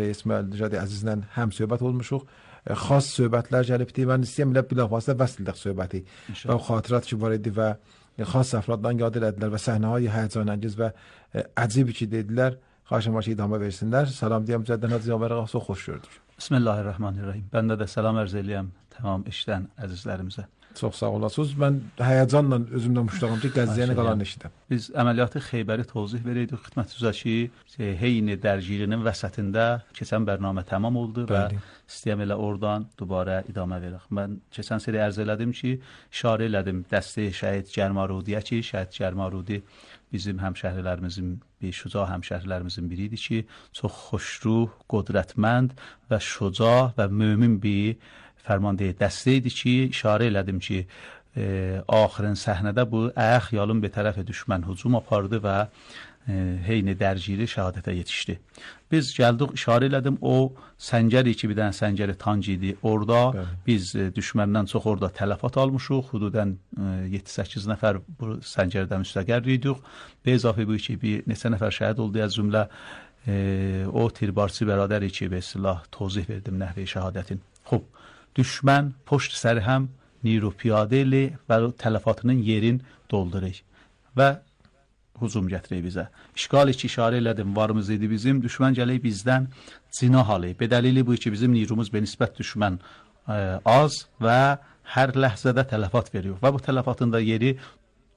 İsmail Nəcadi əzizlə həm söhbət olmuşuq. Xas söhbətlər gəlib idi. Mən istəyirəm elə bilavasitə vəsl edək söhbəti. Və xatirət ki var idi və xas əfraddan yad elədilər və səhnəهای həyəcanəngiz və əcib ki dedilər. Xahişim var ki idamə versinlər. Salam deyəm cəddən Hacı Canvər ağa, çox xoş gördük. Bismillahirrahmanirrahim. Ben de selam arz eləyəm tamam eşidən əzizlərimizə. Çox sağ olasınız. Mən həyəcanla özümdən muşdağım ki, Qəzziyəni qalan eşidən. Biz əməliyyatı Xeybəri tozih verəydik xidmətinizə ki, Heyni Dərgirinin vəsətində keçən bərnamə tamam oldu və istəyəm elə oradan dubara idamə verək. Mən keçən seri ərz elədim ki, işarə elədim dəstə Şəhid Cərmarudiyə ki, Şəhid Cərmarudi bizim həmşəhrilərimizin, şüca həmşəhrilərimizin biri idi ki, çox xoşruh, qudrətmənd və şüca və mömin bir fərmandeyi dəstə idi ki, işarə elədim ki, axırın səhnədə bu xiyalın bir tərəfə düşmən hücum apardı və Heyni Dərgiri şəhadətə yetişdi. Biz gəldik, işarə elədim, o səngəri ki, bir dənə səngəri tanc idi. Orada biz düşməndən çox orada tələfat almışıq. Hududən 7-8 nəfər bu səngərdən müstəqər idik. Bezafı bu ki, bir neçə nəfər şəhid oldu az cümlə. O tirbarçı bərədəri ki, be silah tozih verdim nəhvi şəhadətin. Xub, düşmən poşt sərhəm niru piyadə ilə və tələfatının yerin doldurur və hücum gətirək bizə. İşğal ki, işarə elədim, varımız idi bizim, düşmən gələk bizdən cinah alıyıb. Bedəlili bu ki, bizim nirumuz benisbət düşmən az və hər ləhzədə tələfat veriyor və bu tələfatın da yeri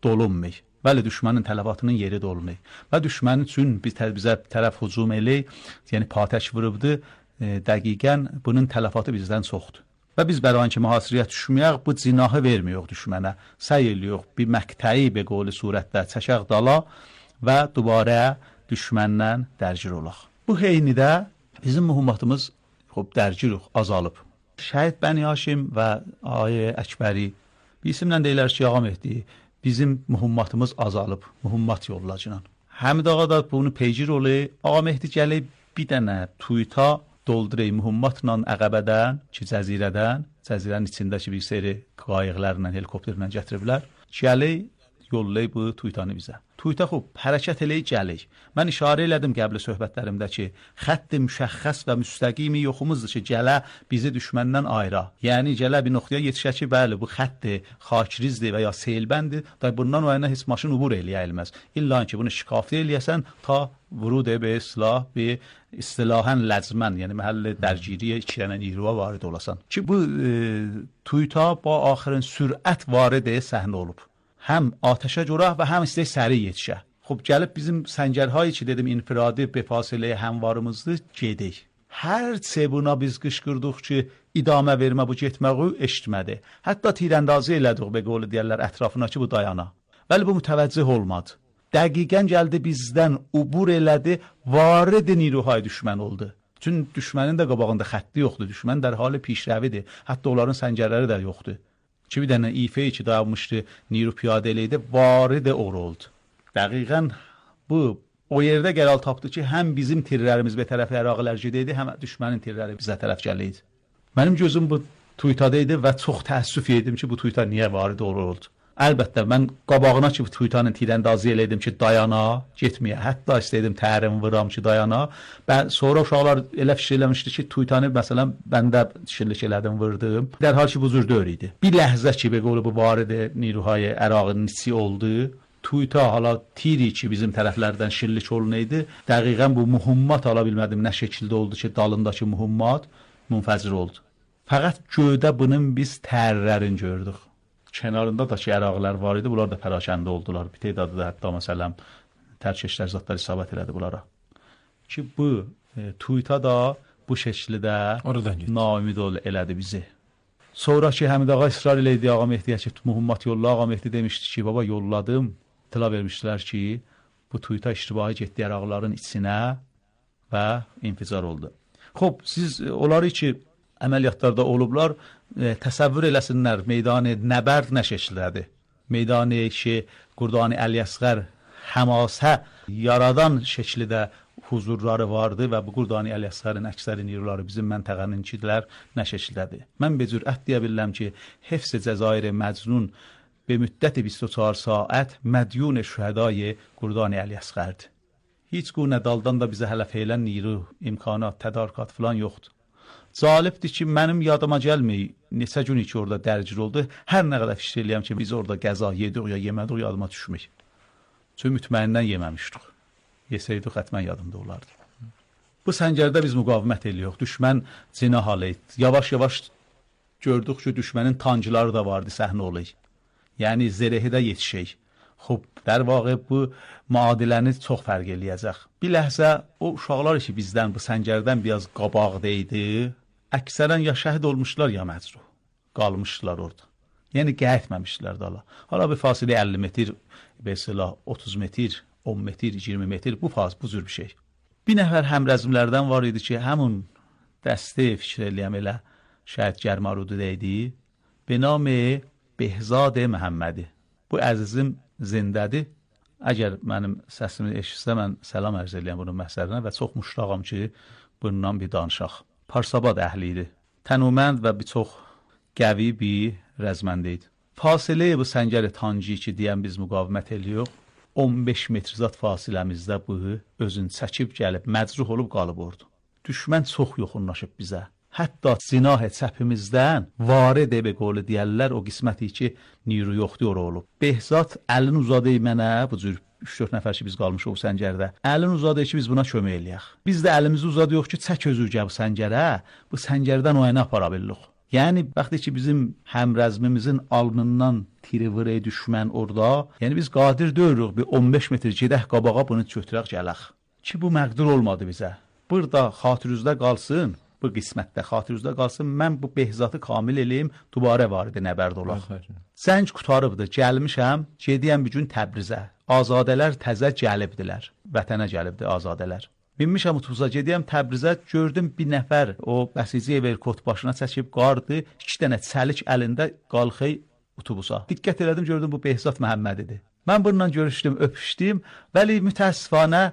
dolunmuyor. Bəli, düşmənin tələfatının yeri dolunmuyor. Və düşmənin üçün bizə tərəf hücum eləyək, yəni patəş vurubdu, dəqiqən bunun tələfatı bizdən çoxdur. Və biz bəran ki, mühasirəyə düşməyək, bu cinahı vermiyorq düşmənə. Səy eləyox, bir məqtəyi be qoli surətdə çəkək dala və dubara düşməndən dərgir olaq. Bu heynidə bizim mühümmatımız dərgiruq, azalıb. Şəhid Bəni Haşim və Ayə Əkbəri bir isimlə deyilər ki, ağam etdi, bizim mühümmatımız azalıb, mühümmat yollacınan. Həmid ağa da bunu peycir olayı, ağam etdi gəlib bir dənə tuyta doldurayım mühümmatla Əqəbədən ki, cəzirənin içindəki bir seri qayıqlarla, helikopterlə gətiriblər. Gəlik, yollayıb bu tuytanı bizə. Tuyta xub, hərəkət eləyib gəlik. Mən işarə elədim qəbli söhbətlərimdə ki, xətt-i müşəxxəs və müstəqimi yoxumuzdur ki, gələ bizi düşməndən ayıra. Yəni, gələ bir nöqtəyə yetişə ki, bəli, bu xətti xakirizdir və ya seylbəndir, da bundan o yana heç maşın ubur eləyəlməz. İlla ki, bunu şikafli eləyəsən, ta vurud be silah, bir istilahən ləzmən, yəni məhəlli dərgiriyə 2 dənə niruva varid olasan. Ki, bu tuyta ba axırın sürət varid səhnə olub. Həm atəşə görə və həm istək səri yetişə. Xub, gəlib bizim səngərhayı ki, dedim, infiradi befasiləyə həmvarımızdır, gedik. Hər buna biz qışqırdıq ki, idamə vermə bu getməği eşitmədi. Hətta tirəndazı elədik, be qolu deyərlər, ətrafına ki, bu dayana. Bəli, bu mütəvəccih olmadı. Dəqiqən gəldi bizdən, ubur elədi, varid niruhay düşmən oldu. Çünki düşmənin də qabağında xətti yoxdur, düşmən dərhali pişrəvidir, hətta onların səngərləri də yoxdur. Ki, bir dənə ifeyi ki, dayanmışdı, niru piyadə eləydi, varid oru oldu. Dəqiqən bu, o yerdə gəlal tapdı ki, həm bizim tirlərimiz bir tərəfə əraqilər gedəydi, həm düşmənin tirləri bizə tərəf gələydi. Mənim gözüm bu tuytadaydı və çox təəssüf edim ki, bu tuyta niyə varid oru oldu. Əlbəttə, mən qabağına ki, bu tuytanın tirəndazı eləydim ki, dayana, getməyə. Hətta istəydim tərim vuram ki, dayana. Sonra uşaqlar elə fikir eləmişdi ki, tuytanı, məsələn, mən də şirlik elədim, vurdum. Dərhal ki, bu cür dör idi. Bir ləhzə ki, bu varidi niruhay ərağının içi oldu. Tuyta hala tiri ki, bizim tərəflərdən şirlik olunaydı. Dəqiqən bu mühümmat ala bilmədim, nə şəkildə oldu ki, dalındakı mühümmat munfəzir oldu. Fəqət göydə bunun biz tərlərini gördük. Kənarında da ki, əraqlar var idi, bunlar da pərakəndə oldular. Bir tedadı da hətta, məsələn, tərkeşlər zatlar isabət elədi bunlara. Ki, bu tuyta da bu şəkildə naümid elədi bizi. Sonra ki, Həmid ağa israr eləydi, ağa Mehdiyə ki, mühümmat yolla, ağa Mehdi demişdi ki, baba yolladım. İtila vermişdilər ki, bu tuyta iştibahi getdi əraqların içinə və inficar oldu. Xob, siz onları ki, əməliyyatlarda olublar, təsəvvür eləsinlər, meydanı nəbərd nə şəkildədir. Meydanı ki, Qurdani Əli-Əsğər həmasə yaradan şəkildə huzurları vardı və bu Qurdani Əli-Əsğərin əksəri niruları bizim məntəqəninkilər nə şəkildədir. Mən bir cürət deyə bilirəm ki, Hefs-i Cəzair Məcnun be müddət 24 saat mədyun şühədai Qurdani Əli-Əsğərdir. Heç gune daldan da bizə hələ feylən niru, imkanat, tədarükat falan yoxdur. Zalibdir ki, mənim yadıma gəlmir, neçə gün ki orada dərgir oldu. Hər nə qədər fikir eləyəm ki, biz orada qəza yedik ya yemədik, yadıma düşmür. Çünki mütməyindən yeməmişdik. Yesəydik, xətmən yadımda olardı. Bu səngərdə biz müqavimət eləyirik. Düşmən cinah halı etdi. Yavaş-yavaş gördük ki, düşmənin tancıları da vardı, səhnə olayı. Yəni, zərehi də yetişək. Xub, در واقع bu müadiləni çox fərq eləyəcək. Bir ləhzə o uşaqlar ki, bizdən, bu səngərdən biraz qabaqda idi, əksərən ya şəhid olmuşlar, ya məcruh. Qalmışdılar orada. Yəni, qəyətməmişdilər dala. Hala bir fasilə 50 metr, mesela 30 metr, 10 metr, 20 metr, bu cür bir şey. Bir nəfər həmrəzmlərdən var idi ki, həmun dəstə fikir eləyəm elə şəhid Gərmarudu deydi, به نام بهزاد محمدی. Bu əzizim zindədir. Əgər mənim səsimi eşitsə, mən səlam ərz eləyəm bunun məhsərinə və çox müştaqam ki, bundan bir danışaq. Parsabad əhli idi. Tənümənd və bir çox qəvi bir rəzməndə idi. Fasilə bu səngər tancı ki, deyən biz müqavimət eləyirik. 15 metr zat fasiləmizdə bu özün çəkib gəlib, məcruh olub qalıb ordu. Düşmən çox yoxunlaşıb bizə. Hətta zinah çəpimizdən varid be qolu deyərlər, o qisməti ki, niru yoxdur ora olub. Behzat əlini uzadı mənə, bu cür 3-4 nəfər ki, biz qalmışıq o səngərdə. Əlini uzadı ki, biz buna kömək eləyək. Biz də əlimizi uzadıyıq ki, çək özürgə bu səngərə, bu səngərdən o yana apara bilirik. Yəni, bəxtə ki, bizim həmrəzmimizin alnından tiri vırı düşmən orada, yəni biz qadir deyirik, bir 15 metr gedək qabağa bunu götürək gələk. Ki, bu məqdur olmadı bizə. Burada xatirüzdə qalsın, bu qismətdə xatirüzdə qalsın, mən bu behzatı kamil eləyim, dubarə varidi nəbərdə olaq. Zəng qutarıbdır, gəlmişəm, gediyəm bir gün Təbrizə. Azadələr təzə gəlibdilər, vətənə gəlibdi azadələr. Binmişəm otobusa, gediyəm Təbrizə, gördüm bir nəfər o bəsici Everkot başına çəkib qardı, 2 dənə çəlik əlində qalxey otobusa. Diqqət elədim, gördüm bu Behzat Məhəmmədidir. Mən bununla görüşdüm, öpüşdüm, vəli mütəəssifanə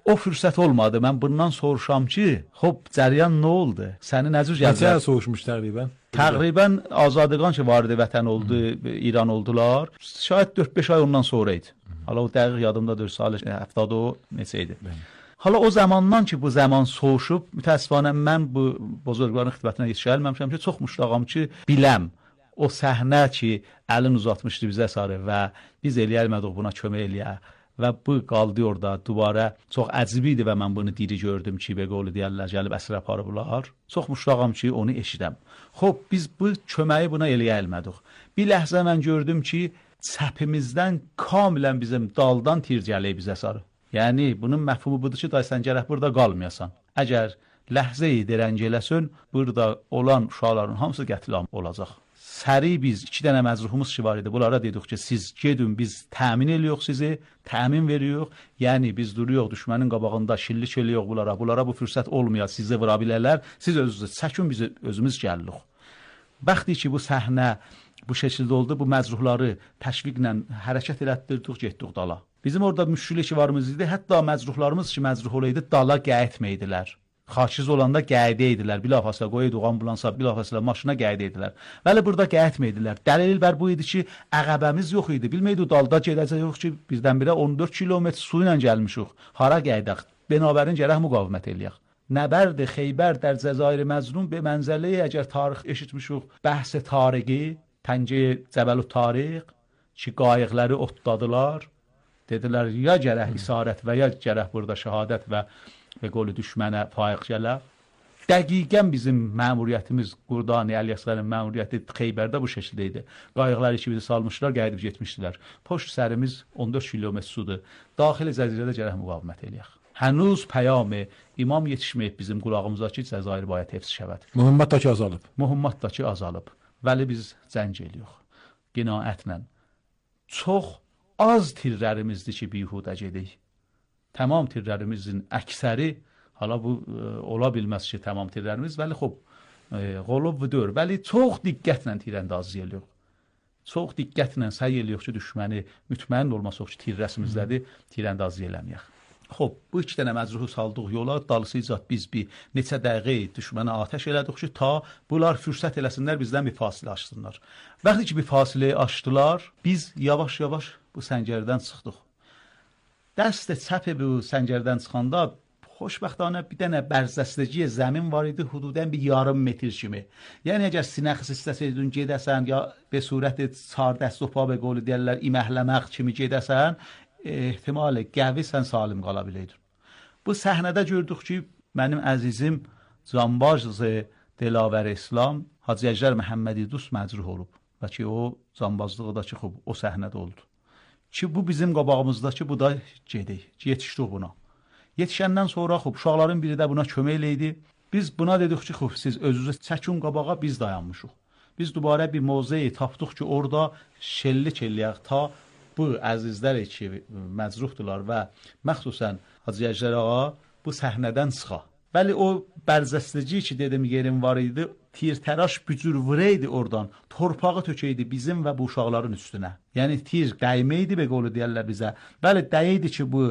o fürsət olmadı. Mən bundan soruşam ki, hop, cəryan nə oldu? Səni nə cür gəldilər? Necə soruşmuş təqribən? Təqribən azadqan ki, vardı vətən oldu, İran oldular. Şayad 4-5 ay ondan sonra idi. Hala o dəqiq yadımdadır, salı 70 o neçə idi. Hala o zamandan ki, bu zaman soğuşub, mütəəssifanə mən bu bozorqların xidmətinə yetişə bilməmişəm ki, çox müştağam ki, biləm. O səhnə ki, əlin uzatmışdı bizə sarı və biz eləyəlmədik buna kömək eləyək və bu qaldı orada, dubara çox əcib idi və mən bunu diri gördüm ki, beqolu deyərlər, gəlib əsir aparıblar. Çox müştağam ki, onu eşidəm. Xob, biz bu köməyi buna eləyəlmədik. Bir ləhzə mən gördüm ki, çəpimizdən kamilən bizim daldan tir gəlib bizə sarı. Yəni, bunun məfhumu budur ki, sən gərək burada qalmayasan. Əgər ləhzə-i dirənc eləsən, burada olan uşaqların hamısı qətl olacaq. Səri biz 2 dənə məcruhumuz ki var idi. Bunlara dedik ki, siz gedin, biz təmin eləyirik sizi, təmin veririk. Yəni, biz duruyoruz düşmənin qabağında, şillik eləyirik bunlara. Bunlara bu fürsət olmuyor, sizi vura bilərlər. Siz özünüz çəkin, biz özümüz gəlirik. Bəxti ki, bu səhnə bu şəkildə oldu, bu məcruhları təşviqlə hərəkət elətdirdik, getdik dala. Bizim orada müşkülə varımız idi. Hətta məcruhlarımız ki, məcruh olaydı, dala qayıtmaydilər. Xaçiz olanda qayıdə idilər. Bilafasla qoyduq ambulansa, bilafasla maşına qayıdə idilər. Bəli, burada qayıtmaydilər. Dəlil bər bu idi ki, əqəbəmiz yox idi. Bilməydik, dalda gedəcək yox ki, birdən-birə 14 kilometr su ilə gəlmişik. Hara qayıdaq? Bənabərin gərək müqavimət eləyək. Nəbərd Xeybər در جزایر مظلوم به منزله əgər tarix eşitmişik, bəhs tariqi, Təncə Cəbəl Tariq ki, qayıqları otladılar. Dedilər, ya gərək isarət və ya gərək burada şəhadət və qolu düşmənə faiq gələr. Dəqiqən bizim məmuriyyətimiz, Qurdani Əliasqərin məmuriyyəti Xeybərdə bu şəkildə idi. Qayıqları ki, bizi salmışlar, qayıdıb getmişdilər. Poşt sərimiz 14 kilometr sudur. Daxili cəzirədə gərək müqavimət eləyək. Hənuz pəyamı imam yetişməyib bizim qulağımıza ki, Cəzair bayət hefz şəvət. Mühümmat da ki azalıb. Mühümmat da ki azalıb. Vəli biz zəng eləyirik. Qinaətlə. Çox az tirlərimizdir ki, bihudə gedik. Tamam tirlərimizin əksəri, hala bu ola bilməz ki, tamam tirlərimiz, vəli xob, qolub vüdür, vəli çox diqqətlə tirəndazı eləyirik. Çox diqqətlə səy eləyirik ki, düşməni mütməyin olmasıq ki, tirrəsimizdədir, tirəndazı eləməyək. Xob, bu 2 dənə məcruhu saldıq yola, dalısıcaq biz bir neçə dəqiqə düşmənə atəş elədik ki, ta bunlar fürsət eləsinlər, bizdən bir fasilə açsınlar. Bəxti ki, bir fasilə açdılar, biz yavaş-yavaş bu səngərdən çıxdıq. دست چپ به سنجردن çıxanda xoşbəxtانه bir dənə bərzəstəciyə zəmin var idi, hududən bir yarım metr kimi. Yəni əgər sinəxs istəsəydin gedəsən ya به صورت çar dəst و پا به قول deyirlər iməhləmək kimi gedəsən, ehtimal qəvi sən salim qala biləydin. Bu səhnədə gördük ki, mənim əzizim Canbaş Dilaver İslam Hacı Əcər Məhəmmədi Dust məcruh olub və ki o canbazlığı da ki xub o səhnədə oldu. Ki bu bizim qabağımızdakı bu da gedik, yetişdik buna. Yetişəndən sonra xub uşaqların biri də buna kömək eləydi. Biz buna dedik ki, xub siz özünüzü çəkin qabağa, biz dayanmışıq. Biz dubara bir mövzeyi tapdıq ki, orada şellik eləyək ta bu əzizlər ki məcruhdular və məxsusən Hacı Əcər ağa bu səhnədən çıxa. Bəli o bərzəstəci ki dedim yerim var idi, tirtəraş bücür vuraydı oradan, torpağı tökəydi bizim və bu uşaqların üstünə. Yəni tir dəyməydi be qolu deyərlər bizə. Bəli dəyəydi ki bu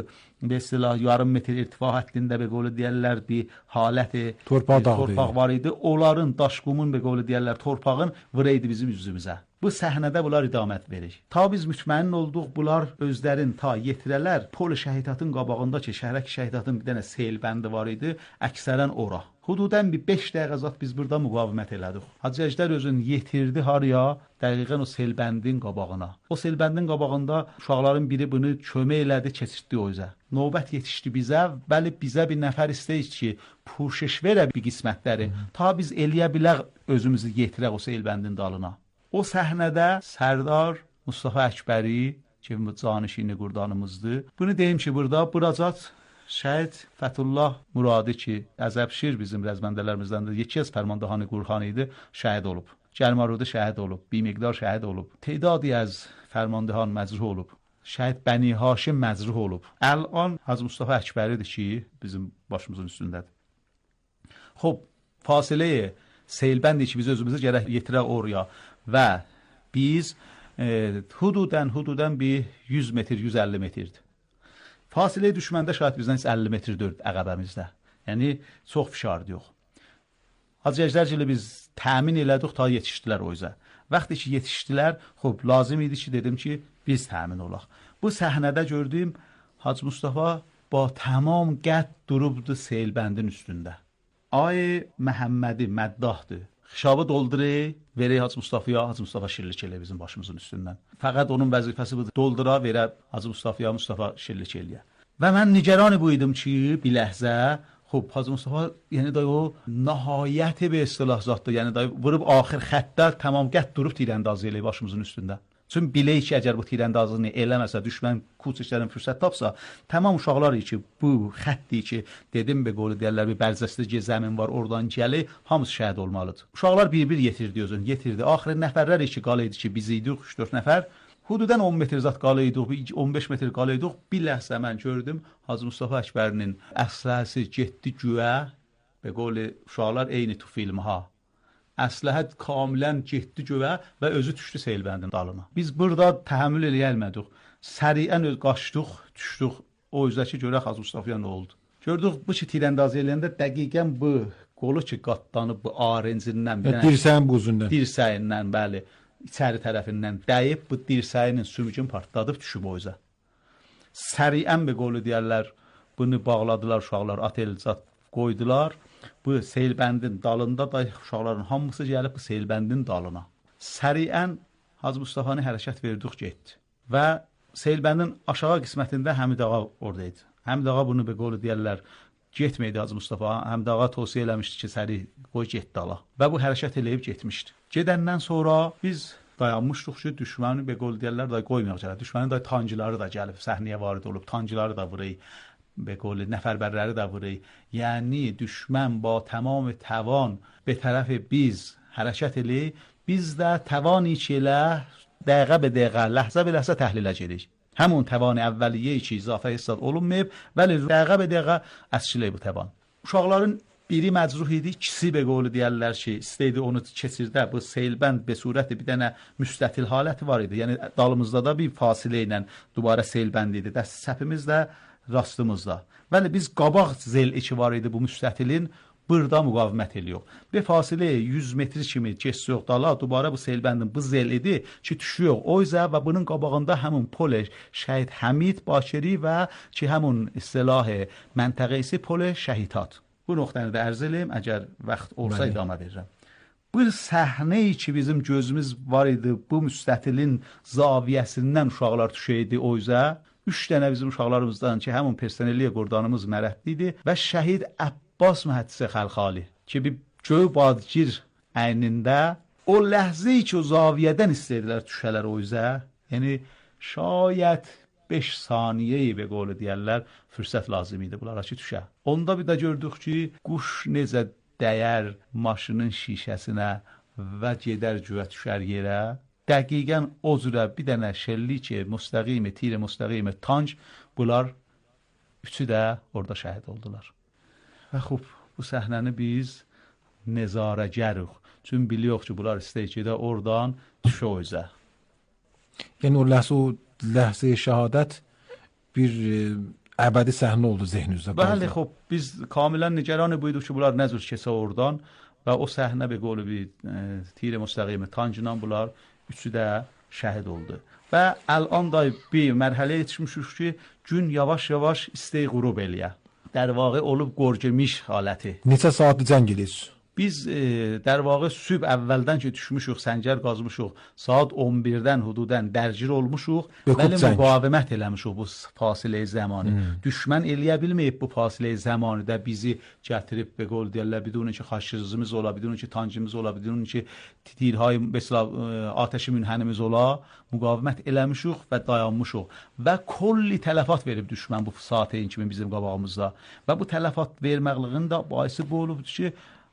به اصطلاح yarım metr irtifa həddində be qolu deyərlər bir haləti torpaq var idi. Onların daşqumun be qolu deyərlər torpağın vuraydı bizim üzümüzə. Bu səhnədə bunlar idamət verir. Ta biz mütməyin olduq bunlar özlərin ta yetirələr pol şəhidatın qabağında ki şəhərək şəhidatın bir dənə sel bəndi var idi, əksərən ora. Hududən bir 5 dəqiqə zat biz burada müqavimət elədik. Hacı Əcər özün yetirdi haraya? Dəqiqən o selbəndin qabağına. O selbəndin qabağında uşaqların biri bunu kömək elədi, keçirtdi o üzə. Növbət yetişdi bizə, bəli bizə bir nəfər istəyir ki, puşeş verə bir qismətləri. Ta biz eləyə bilək özümüzü yetirək o selbəndin dalına. O səhnədə Sərdar Mustafa Əkbəri ki, canişini qurdanımızdır. Bunu deyim ki, burada buracat Şəhid Fətullah Muradi ki, Əzəbşir bizim rəzməndələrimizdən də yeki az Fərmandahan Qurxan idi, şəhid olub. Gəlmarudi şəhid olub, bir miqdar şəhid olub. Teydadi az Fərmandahan məcruh olub. Şəhid Bəni Haşim məcruh olub. Əlan Hacı Mustafa Əkbəridir ki, bizim başımızın üstündədir. Xob, fasiləyə Seylbəndi ki, biz özümüzü gərək yetirək oraya və biz hududən bir 100 metr, 150 metrdir. Fasilə düşməndə şayət bizdən 50 metr dörd əqəbəmizdə. Yəni, çox fişardı yox. Hacı Əcərcili biz təmin elədik, ta yetişdilər o üzə. Vaxtı ki, yetişdilər, xub, lazım idi ki, dedim ki, biz təmin olaq. Bu səhnədə gördüyüm Hacı Mustafa ba tamam qəd durubdu Seylbəndin üstündə. Ay Məhəmmədi məddahdır. Xişabı doldurur, verək Hacı Mustafa'ya, Hacı Mustafa şirlik elə bizim başımızın üstündən. Fəqət onun vəzifəsi budur, doldura verə Hacı Mustafa'ya, Mustafa şirlik eləyə. Və mən nigeran buyudum ki, bir ləhzə, xub, Hacı Mustafa, yəni da o nəhayəti bir istilah zatdır, yəni da vurub axır xəttə tamam qəd durub tirəndazı elə başımızın üstündə. Çünki bilək ki, əgər bu tirəndazını eləməsə, düşmən kuçişlərin fürsət tapsa, tamam uşaqlar ki, bu xətti ki, dedim be qolu deyərlər, bir bərzəstəci zəmin var, oradan gəli, hamısı şəhid olmalıdır. Uşaqlar bir-bir yetirdi özünü, yetirdi. Axırı nəfərlər ki, qalıydı ki, biz idik, 3-4 nəfər. Hududən 10 metr zat qalıydık, 15 metr qalıydık. Bir ləhzə mən gördüm, Hacı Mustafa Əkbərinin əsləhəsi getdi güyə, be qolu uşaqlar eyni tu filmha. Əsləhət kamilən getdi göyə və özü düşdü Seylbəndin dalına. Biz burada təhəmmül eləyəlmədik. Səriən qaçdıq, düşdük. O üzəki görək Hacı Mustafa'ya nə oldu? Gördük bu ki, tirəndazı eləyəndə dəqiqən bu qolu ki, qatlanıb bu arencindən. Dirsəyin buzundan. Dirsəyindən, bəli, içəri tərəfindən dəyib, bu dirsəyinin sümükün partladıb düşüb o üzə. Səriən bir qolu deyərlər, bunu bağladılar uşaqlar, atelzat qoydular. Bu Seylbəndin dalında da uşaqların hamısı gəlib bu Seylbəndin dalına. Səriən Hacı Mustafa'nı hərəkət verdik getdi. Və Seylbəndin aşağı qismətində Həmid ağa oradaydı. Həmid ağa bunu bir qolu deyərlər, getməydi Hacı Mustafa. Həmid ağa tövsiyə eləmişdi ki, səri qoy get dala. Və bu hərəkət eləyib getmişdi. Gedəndən sonra biz dayanmışdıq ki, düşməni bir qolu deyərlər da qoymayaq gələ. Düşmənin da tancıları da gəlib, səhnəyə varid olub, tancıları da vurayı. به قول نفربرləri də vurur. Yəni düşmən با tamam توان به طرف biz hərəkət eləyir. Biz də توانی ki elə dəqiqə be dəqiqə, ləhzə be ləhzə təhlilə gedirik. Həmin توان əvvəliyyə ki izafə hesab olunmayıb, bəli dəqiqə be dəqiqə əsçilik bu توان. Uşaqların biri məcruh idi, ikisi be qolu deyərlər ki, istəydi onu keçirdə. Bu Seylbənd be surəti bir dənə müstətil haləti var idi. Yəni dalımızda da bir fasilə ilə dubara Seylbənd idi. Dəst səpimiz də rastımızda. Bəli, biz qabaq zel içi var idi bu müstətilin. burada müqavimət eləyiyor. Be fasilə 100 metr kimi keçiyor dala, dubara bu selbəndin bu zel idi ki düşüyor o izə və bunun qabağında həmin pol şəhid Həmid Bakiri və ki həmin istilah məntəqə isə pol şəhidat. Bu nöqtəni də ərz eləyim, əgər vaxt olsa idamə verirəm. Bu səhnəyi ki bizim gözümüz var idi, bu müstətilin zaviyəsindən uşaqlar düşəydi o izə. 3 dənə bizim uşaqlarımızdan ki həmin personelliyə qurdanımız mərətli idi və şəhid Abbas Mühəddisi Xəlxali ki bir göy badgir əynində o ləhzəyi ki o zaviyədən istəyirdilər düşələr o izə. Yəni şayət 5 saniyeyi və qolu deyərlər fürsət lazım idi bunlara ki düşə. Onda bir də gördük ki quş necə dəyər maşının şişəsinə və gedər güvə düşər yerə. Dəqiqən o cürə bir dənə şəllik müstəqimi, tir müstəqimi tank bunlar üçü də orada şəhid oldular. Və xub bu səhnəni biz nəzarəgərik. Çünki biliyoruz ki bunlar istəyir ki də oradan düşə o izə. Yəni o ləhzə şəhadət bir əbədi səhnə oldu zehninizdə. Bəli, xub biz kamilən nigaran buyduq ki bunlar nə cür keçə oradan və o səhnə bir qolu bir tir müstəqimi tankla bunlar üçü də şəhid oldu. Və ələn da bir mərhələyə yetişmişik ki, gün yavaş-yavaş istəyi qurub eləyə. در واقع olub qorgemiş haləti. Neçə saatlı cəng edirsiniz? Biz در واقع sübh əvvəldən ki düşmüşük, səngər qazmışıq, saat 11-dən hududən dərgir olmuşuq, bəli müqavimət eləmişik bu fasilə zamanı. Düşmən eləyə bilməyib bu fasilə zamanıda bizi gətirib və qol deyirlər, bidun ki xaşırızımız ola, bidun ki tancımız ola, bidun ki tirhay mesela atəşi münhənimiz ola, müqavimət eləmişik və dayanmışıq və kolli tələfat verib düşmən bu saatın kimi bizim qabağımızda və bu tələfat verməqliğin də baisi bu olubdur ki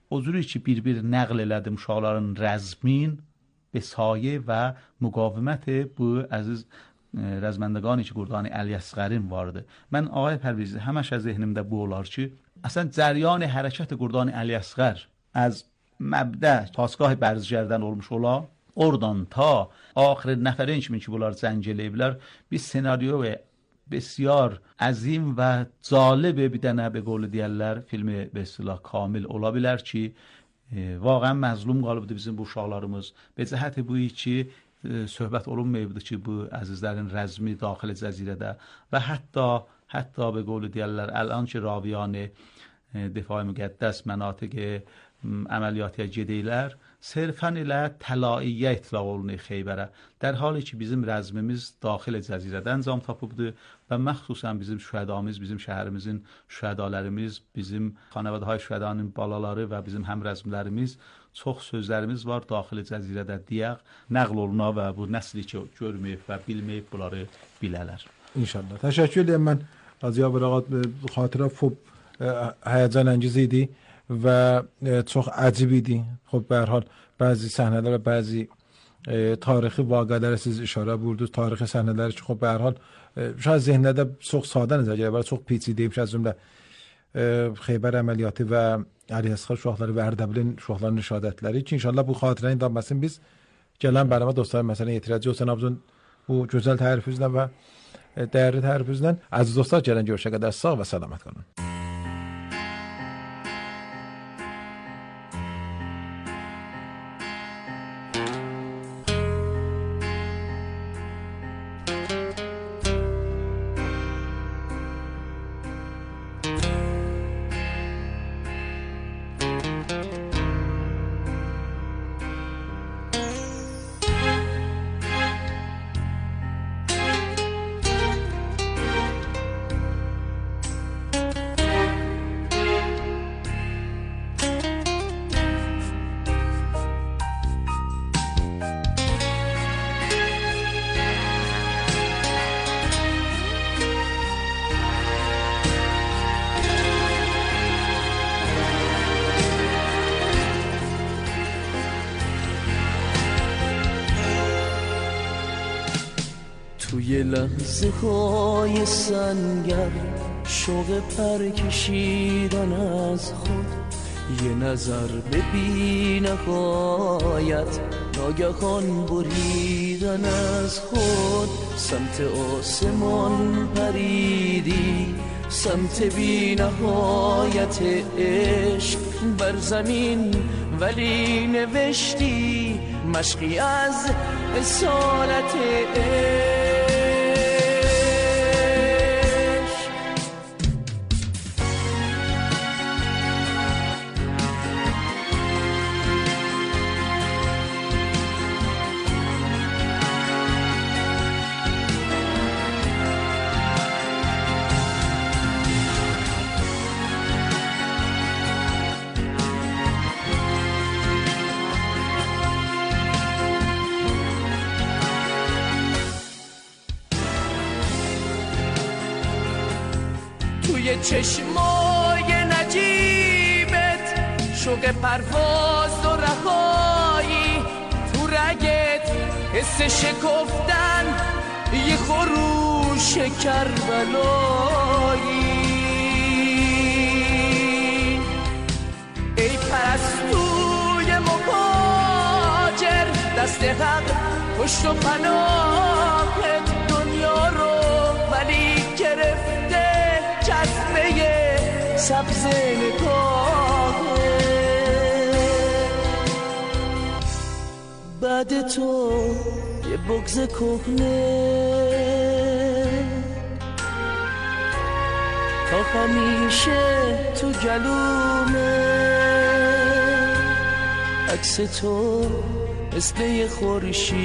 o cürü ki bir nəql elədim uşaqların rəzmin, besayə və müqavimət bu əziz rəzməndəqani ki Qurdani Əli Əsğərin vardı. Mən ağay Pərviz həmişə zehnimdə bu olar ki, əslən cəryan hərəkət Qurdani Əli Əsğər az məbdə tasgah bərzgərdən olmuş ola, oradan ta axir nəfərin kimi ki bunlar zəng eləyiblər, bir senaryo və بسیار عظیم و جالب bir dənə به قول deyərlər filmi به اصطلاح kamil ola bilər ki واقعا məzlum qalıbdı bizim bu uşaqlarımız. Be cəhət bu ki söhbət olunmayıbdı ki bu əzizlərin rəzmi daxil cəzirədə və hətta به قول deyərlər الان ki raviyan دفاع müqəddəs mənatiq əməliyyata gedəylər sırfən ilə təlaiyə itlaq olunur Xeybərə. در حالی ki bizim rəzmimiz daxil cəzirədə əncam tapıbdı və məxsusən bizim şühədamız, bizim şəhərimizin şühədalarımız, bizim xanəvadahay şühədanın balaları və bizim həmrəzmlərimiz çox sözlərimiz var daxil cəzirədə deyək, nəql oluna və bu nəsli ki görməyib və bilməyib bunları bilələr. İnşallah. Təşəkkür edirəm mən Hacı Abirağat, xatirə həyəcan انگیز idi və çox əcib idi. Xub به هر حال bəzi səhnələr və bəzi tarixi vaqələrə siz işarə buyurdunuz. Tarixi səhnələr ki xub به هر حال şayad zehnlərdə çox sadə nəzər gəlir, çox peçidəymiş az cümlə Xeybər əməliyyatı və Əli Əsğər uşaqları və Ərdəbilin uşaqlarının şəhadətləri ki inşallah bu xatirənin davamını biz gələn bərnamə dostlar məsələn yetirəcəyik. Cənabınızın bu gözəl tərifinizlə və dəyərli tərifinizlə əziz dostlar gələn görüşə qədər sağ və salamat qalın. توی لحظه های سنگر شوق پر کشیدن از خود یه نظر به بی نهایت ناگهان بریدن از خود سمت آسمان پریدی سمت بی نهایت عشق بر زمین، ولی نوشتی مشقی از اصالت عشق. توی چشمای نجیبت شوق پرواز و رهایی، تو رگت حس شکفتن یه خروش کربلایی. ای پرستوی مهاجر دست حق پشت و پناهت دنیا رو ولی گرفته جذبه سبز نگاهه. بعد تو یه بغض کهنه تا همیشه تو گلومه. عکس تو مثل یه خورشید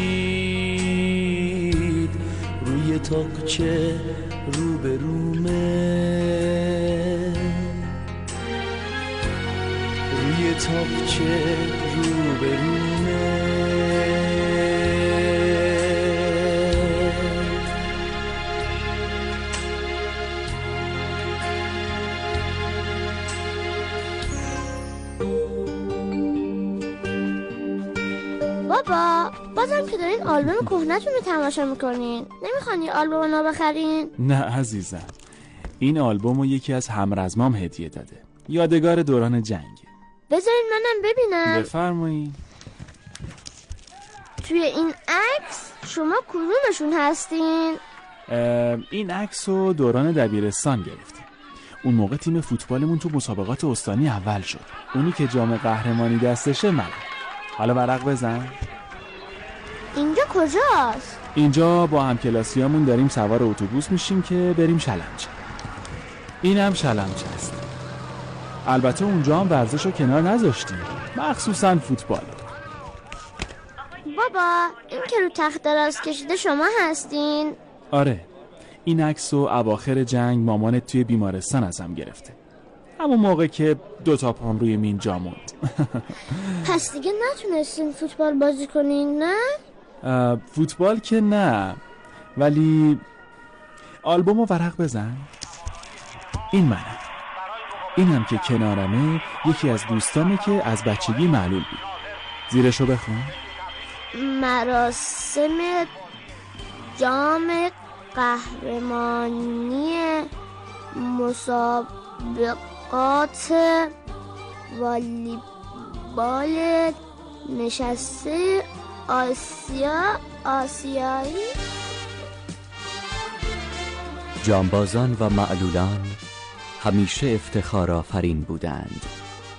روی تاقچه روبرومه، روی تاقچه روبرومه. بابا بازم که دارین آلبوم کهنه‌تون رو تماشا میکنین، نمیخوان یه آلبوم نو بخرین؟ نه عزیزم، این آلبوم رو یکی از همرزمام هدیه داده، یادگار دوران جنگه. بذارین منم ببینم. بفرمایید. توی این عکس شما کدومشون هستین؟ این عکس رو دوران دبیرستان گرفتیم. اون موقع تیم فوتبالمون تو مسابقات استانی اول شد. اونی که جام قهرمانی دستشه منم. حالا ورق بزن. اینجا کجاست؟ اینجا با همکلاسیامون داریم سوار اتوبوس میشیم که بریم شلمچه. اینم شلمچه است. البته اونجا هم ورزش رو کنار نذاشتیم، مخصوصا فوتبال. بابا این که رو تخت دراز کشیده شما هستین؟ آره، این عکس رو اواخر جنگ مامانت توی بیمارستان ازم گرفته، همون موقع که 2 پام روی مین جا موند. پس دیگه نتونستین فوتبال بازی کنین نه؟ فوتبال که نه، ولی آلبومو ورق بزن. این منم. اینم که کنارمه یکی از دوستامه که از بچگی معلول بود. زیرشو بخون. مراسم جام قهرمانی مسابقات والیبال نشسته آسیایی. جانبازان و معلولان همیشه افتخارآفرین بودند.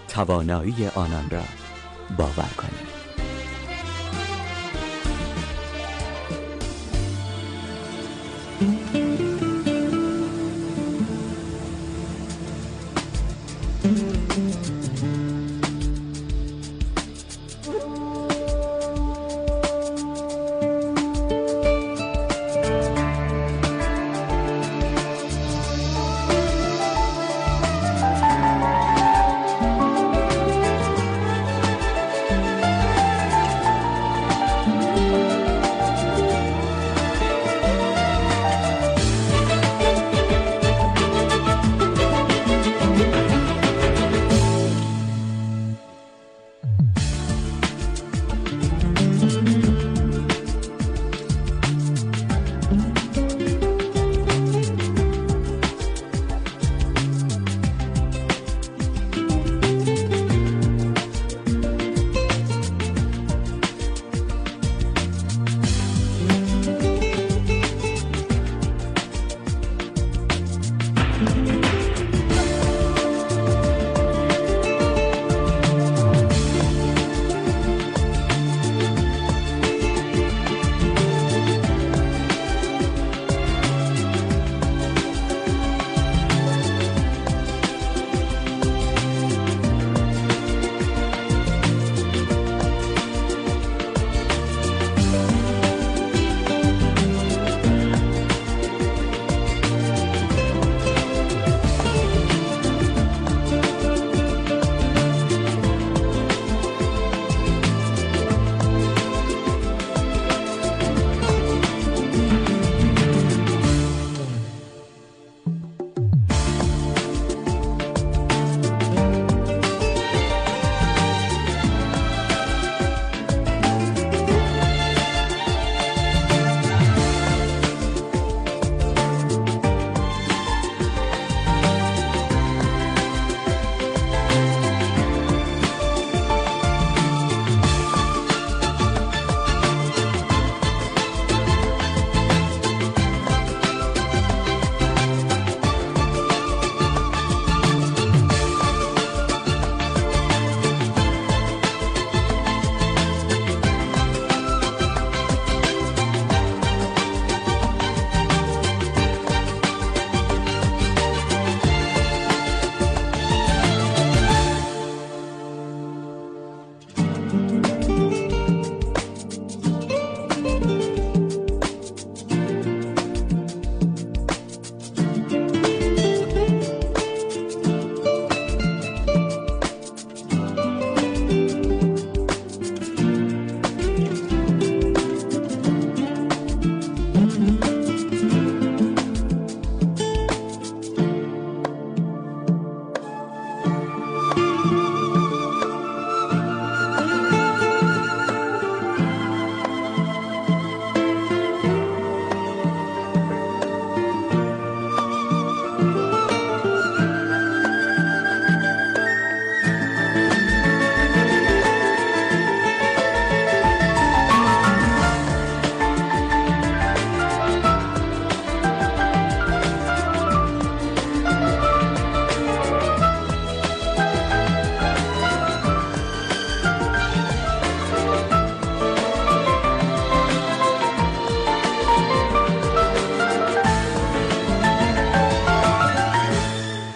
توانایی آنان را باور کنید.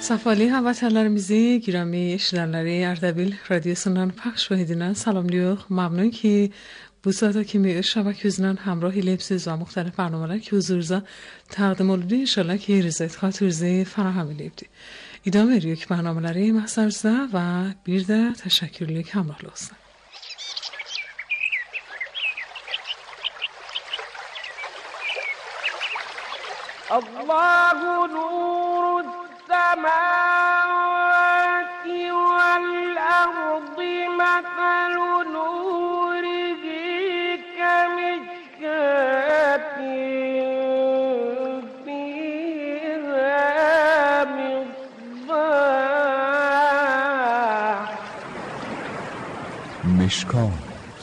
Safali hamvatanlarimizni girami eshitganlari Ardabil radiosundan payş edilen salamlıyor. Mamnun ki bu saata kimi şabak yüzünden hamrah ilepsiz ve muhtelif barnameler ki huzurza taqdim olundu. İnşallah ki rızayet xatirinize farahem eləyibdi. İdam veriyor ki barnameleri mahsarızda ve bir de teşekkürlük hamrahlı olsun. Allahu nurus semâvâti vel ardı meselu nurihi kemişkâtin fîhâ misbâh. مشکات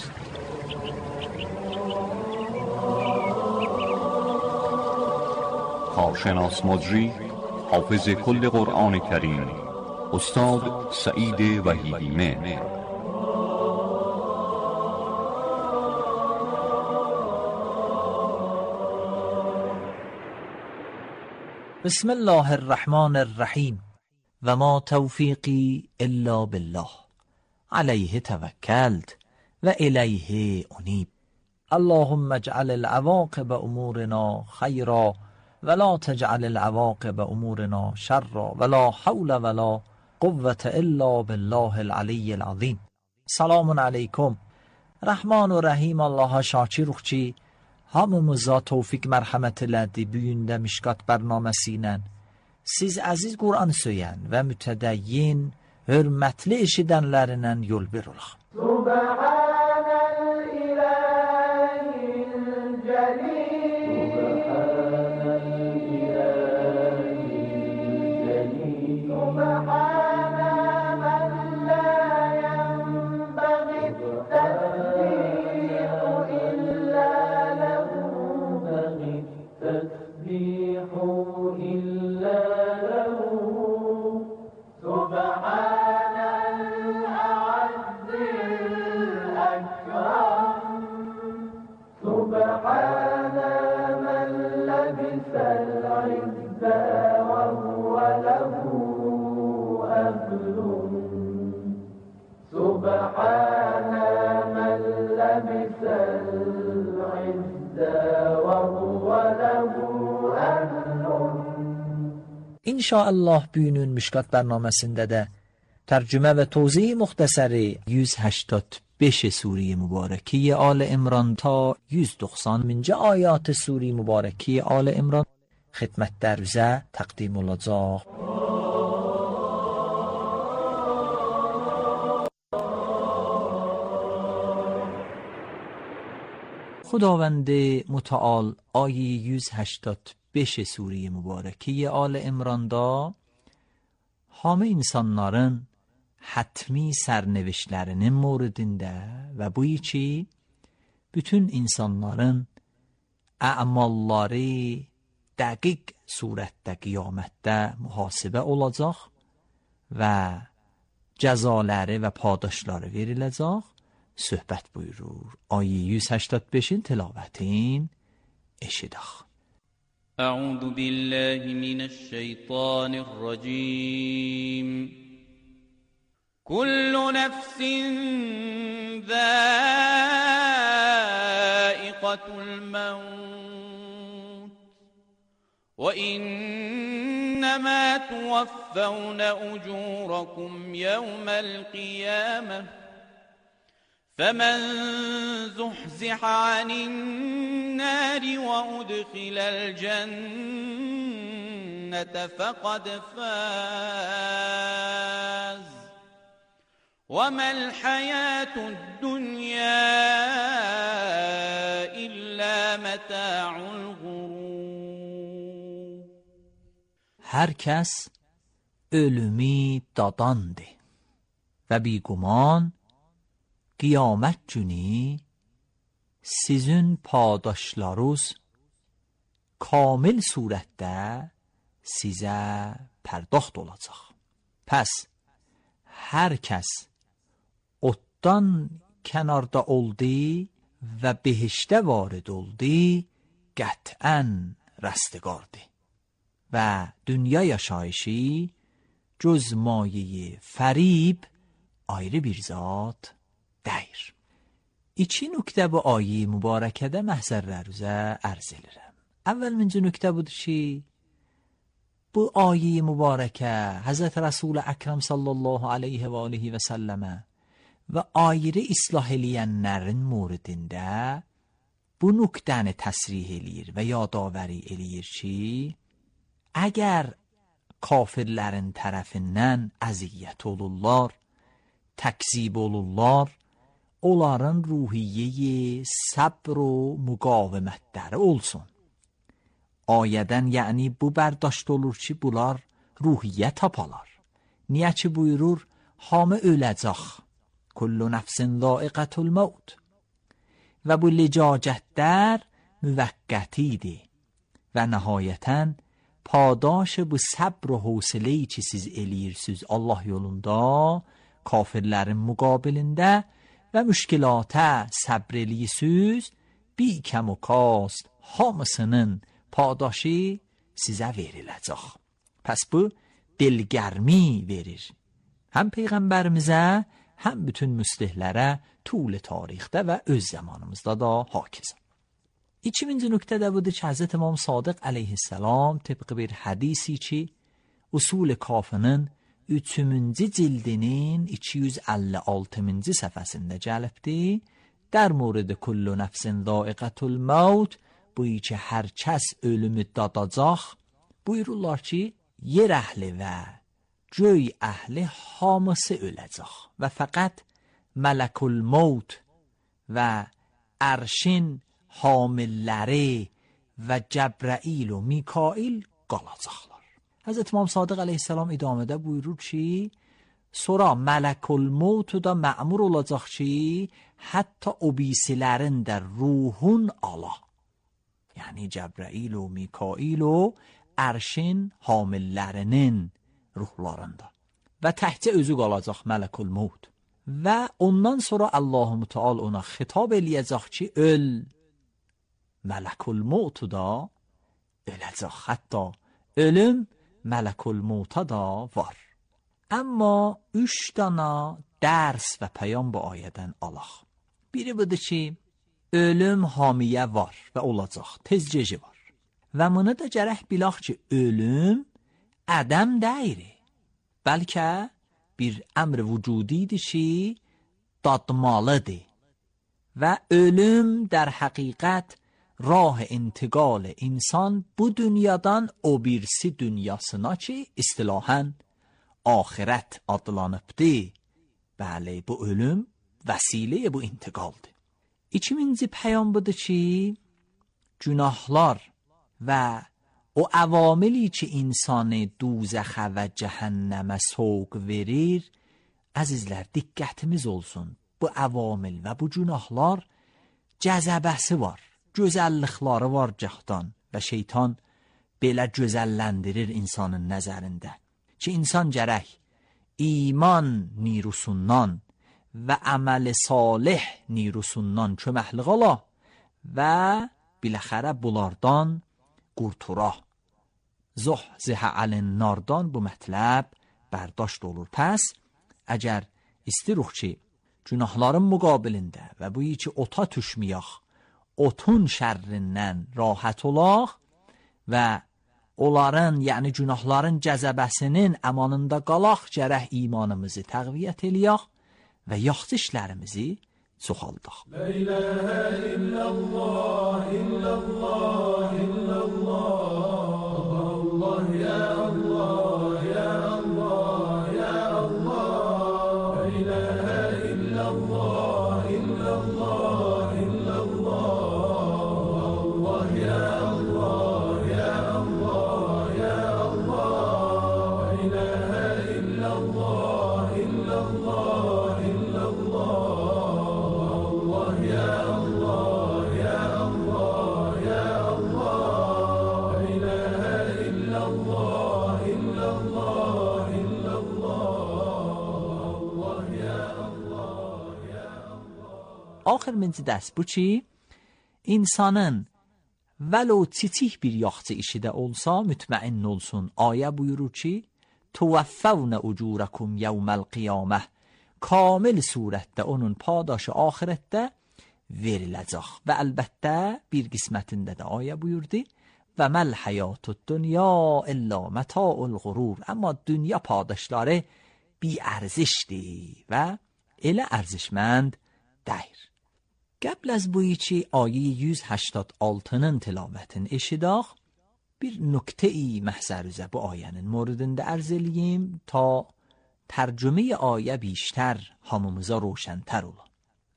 کارشناس مجری حافظ کل قرآن کریم استاد سعید وحیدیمه. بسم الله الرحمن الرحیم و ما توفیقی الا بالله علیه توکلت و الیه انیب. اللهم اجعل العواقب امورنا خیرا ولا تجعل العواقب امورنا شرا ولا حول ولا قوة الا بالله العلی العظیم. سلام علیکم. Rəhman və Rəhim Allaha şakir ki, hamımıza tövfiq mərhəmət elədi bu gündə Mişkat bərnaməsi ilə. Siz əziz Qur'an söyən və mütədəyyin, hörmətli eşidənlərindən yol bir olaq. İnşallah bugünün Mişkat bərnaməsində də tərcümə və tozih müxtəsəri 185 Sure-i Mübarəki Al İmran ta 190-cı ayat Sure-i Mübarəki Al İmran xidmətlərinizə təqdim olacaq. خداوند متعال آیه 185 سوره mübarəki Al İmranda hamı insanların hətmi sərnevişlərinin moridində və bu ki bütün insanların əmalları dəqiq surətdə qiyamətdə mühasibə olacaq və cəzaları və padaşları veriləcək söhbət buyurur. Ayı 185-in tilavətin eşidək. أعوذ بالله من الشيطان الرجيم كل نفس ذائقة الموت وإنما توفون أجوركم يوم القيامة فمن زحزح عن النار وأدخل الجنة فقد فاز وما الحياة الدنيا إلا متاع الغرور. هر کس ölümü dadandı ve biguman qiyamət günü sizin padaşlarınız kamil surətdə sizə pərdaxt olacaq. Pəs hər kəs otdan kənarda oldu və behişdə varid oldu, qətən rəstiqardı və dünya yaşayışı göz mayeyi fərib ayrı bir zat deyir. İki nöqtə bu ayə mübarəkədə məhzərlərinizə ərz edirəm. Əvvəlcə nöqtə budur ki, bu ayə mübarəkə Həzrət Rəsul Əkrəm sallallahu aleyhi və aleyhi və səlləmə və ayrı islah eləyənlərin muridində bu nöqtəni təsrih eləyir və yadavəri eləyir ki, əgər kafirlərin tərəfindən əziyyət olurlar, təkzib olurlar, onların ruhiyyeyi səbr و müqavimətləri olsun. Ayədən yəni bu bərdاشت olur ki, bunlar ruhiyyə tapalar. Niyə ki buyurur, hamı öləcək. Kullu nəfsin zaiqətul maut. Və bu licacətlər müvəqqətidir. Və nəhayətən padaş bu səbr و hövsələyi ki siz eləyirsiniz Allah yolunda, kafirlərin müqabilində və müşkilata səbr eləyirsiniz, bir kəm و kast hamısının padaşı sizə veriləcək. Pəs bu dilgərmi verir. Həm Peyğəmbərimizə, həm bütün müslihlərə طول tarixdə və öz zamanımızda da hakeza. İkinci nöqtə də budur ki, Həzrət İmam Sadiq əleyhissalam tıbq bir hədisi ki, Usul-i Kafinin 3-cü cildinin 256-cı səhifəsində gəlibdir. در مورد کل نفس ذائقة الموت بویی که هر کس ölümü dadacaq, buyururlar ki, yer əhli və göy əhli hamısı öləcək və fəqət mələkul maut və ərşin hamilləri və Cəbrəil و Mikail qalacaqlar. Həzrət İmam Sadiq əleyhissalam idamədə buyurur ki, sonra mələkul mautu da məmur olacaq ki, hətta o birisilərin də ruhun ala. Yəni Cəbrəil و Mikail و ərşin hamillərinin ruhlarında. Və təhcə özü qalacaq mələkul maut. Və ondan sonra Allah-u Teala ona xitab eləyəcək ki, öl. Mələkul mautu da öləcək. Hətta ölüm mələkul mauta da var. Amma 3 dana dərs və pəyam bu ayədən alaq. Biri budur ki, ölüm hamiyə var və olacaq, tezcəci var. Və bunu da gərək bilaq ki, ölüm ədəm deyir. Bəlkə bir əmr vücudidir ki, dadmalıdır. Və ölüm در həqiqət rah intiqal insan bu dünyadan o birisi dünyasına ki, istilahən ahirət adlanıbdır. Bəli, bu ölüm vəsilə bu intiqaldır. İkinci pəyam budur ki, günahlar və o əvamili ki, insanı duzəxə və cəhənnəmə soğuk verir, əzizlər, diqqətimiz olsun. Bu əvamil və bu günahlar cəzəbəsi var, gözəllikləri var cəhdan və şeytan belə gözəlləndirir insanın nəzərində. Ki, insan gərək iman nirusundan və əməl-i salih nirusundan köməklik ala və biləxərə bunlardan qurtura. Zuhzihə əlin-nardan bu mətləb bərdاشت olur. Pəs, əgər istiruq ki, günahların müqabilində və bu ki ota düşməyək, otun şərrindən rahat olaq və onların, yəni günahların cəzəbəsinin əmanında qalaq, gərək imanımızı təqviyyət eləyək və yaxşı işlərimizi çoxaldaq. La ilahə illallah, illallah, illallah, Allah, ya Allah, ya Allah, ya Allah. La ilahə illallah, illallah, illallah, Allah, ya Allah, ya Allah, ya Allah. La ilahə illallah, illallah, illallah, ya Allah, ya Allah, ya Allah. La ilahə illallah, illallah, illallah, ya Allah, ya Allah. Axırıncı dərs bu ki, insanın vəlo çiçik bir yaxçı işi də olsa mütməin olsun. Ayə buyurur ki, tuvaffavna ucurakum yevmel qiyameh. Kamil surətdə onun padaşı axirətdə veriləcək. Və əlbəttə bir qismətində də ayə buyurdu, və məl həyatud dünya illa məta'ul qurur. Amma dünya padaşları bir ərzişdir və elə ərzişmənd deyir. Qəbl az bu ki ayə 186-nın tilavətini eşidək, bir nükte-i məhzərüzə bu ayənin moridində ərz eləyim ta tərcüme ayə بیشتر hamımıza roşəntər ola.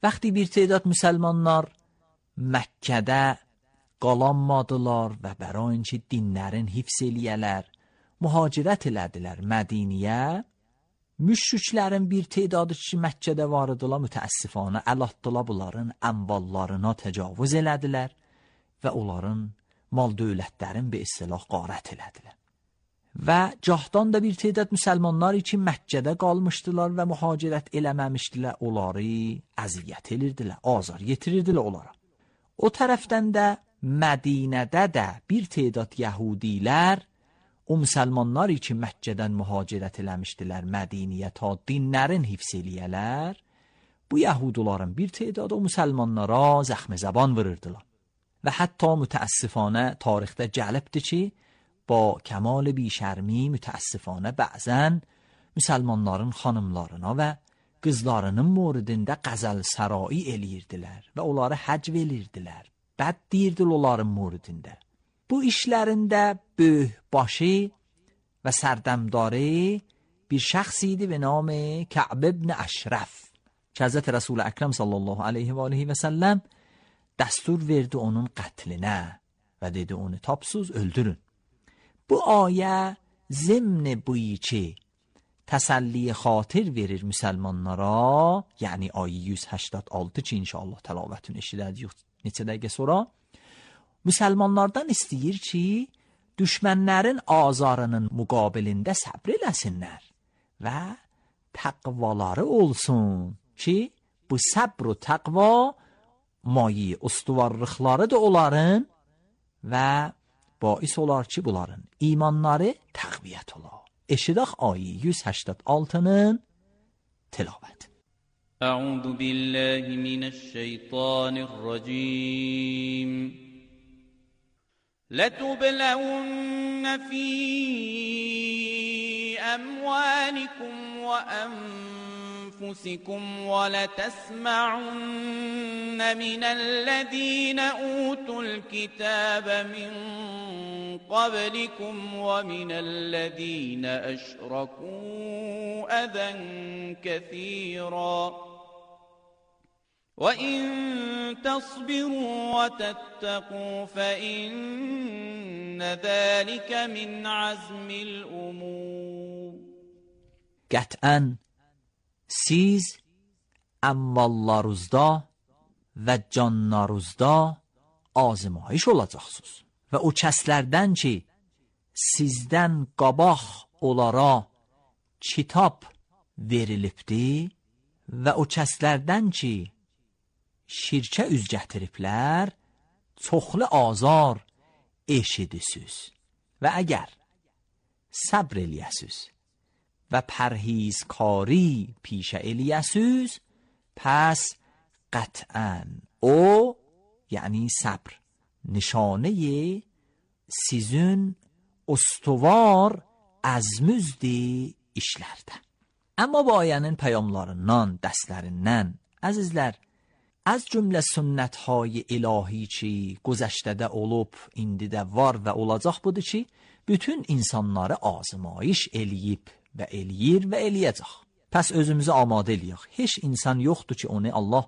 Vəqti bir تعداد müsəlmanlar Məkkədə qalanmadılar və bərayin ki dinlərin hifz eləyələr, mühacirət elədilər Mədiniyə. Müşriklərin bir تعدادı ki Məkkədə var idilar, mütəəssifanə əl atdılar, bunların əmvallarına təcavüz elədilər və onların mal dövlətlərin bir istilah qarət elədilər. Və cahdan da bir تعداد müsəlmanlar ki Məkkədə qalmışdılar və mühacirət eləməmişdilər, onları əziyyət edirdilər, azar yetirirdilər onlara. O tərəfdən də Mədinədə də bir تعداد yəhudilər o müsəlmanlar ki Məkkədən mühacirət eləmişdilər Mədiniyə ta dinlərin hifz eləyələr, bu yəhuduların bir تعداد o müsəlmanlara zəxmə zəban vururdular. Və hətta mütəəssifanə tarixdə gəlibdir ki, با کمال بیشرمی mütəəssifanə bəzən müsəlmanların xanımlarına və qızlarının moridində qəzəl sarai eləyirdilər və onları həc verirdilər. Bəd deyirdilər onların moridində. Bu işlərində böyük başı və sərdəmdarı bir şəxs idi به نام کعب ابن اشرف که حضرت رسول اکرم صلی الله علیه و آله و سلم دستور verdi onun qətlinə və dedi onu tapsız öldürün. Bu ayə zimn buyi ki təsəlli xatir verir müsəlmanlara, yəni ayə 186 ki inşallah təlavətini eşidəcəyik neçə dəqiqə sonra, müsəlmanlardan istəyir ki düşmənlərin azarının müqabilində səbr eləsinlər və təqvaları olsun ki bu səbr و təqva mayi ustuvarlıqları da onların və باعث olar ki bunların imanları təqviyyət olar. Eşidək ayə 186-nın tilavət. أعوذ بالله من الشيطان الرجيم لتبلون في أموالكم وأنفسكم ولتسمعن من الذين أوتوا الكتاب من قبلكم ومن الذين أشركوا أذى كثيرا وَإِن تَصْبِرُوا وَتَتَّقُوا فَإِنَّ ذَلِكَ مِنْ عَزْمِ الْأُمُورِ. Qətən siz əmvallarınızda və canlarınızda azmayış olacaqsınız və o kəslərdən ki sizdən qabaq onlara kitab verilibdir və o kəslərdən ki şirkə üz gətiriblər, çoxlu azar eşidisiz və əgər səbr eləyəsiz və pərhizkari pişə eləyəsiz, پس قطعاً او یعنی صبر nişaneye sizin ustuvar azmüzdi işlərdə. Amma bu ayənin peyamlarından, dərslərindən, əzizlər, az cümlə sünnət-hay ilahi ki, güzəştədə olub, indi də var və olacaq budur ki, bütün insanları azmayış eləyib və eləyir və eləyəcək. Pəs özümüzü amadə eləyək. Heç insan yoxdur ki, onu Allah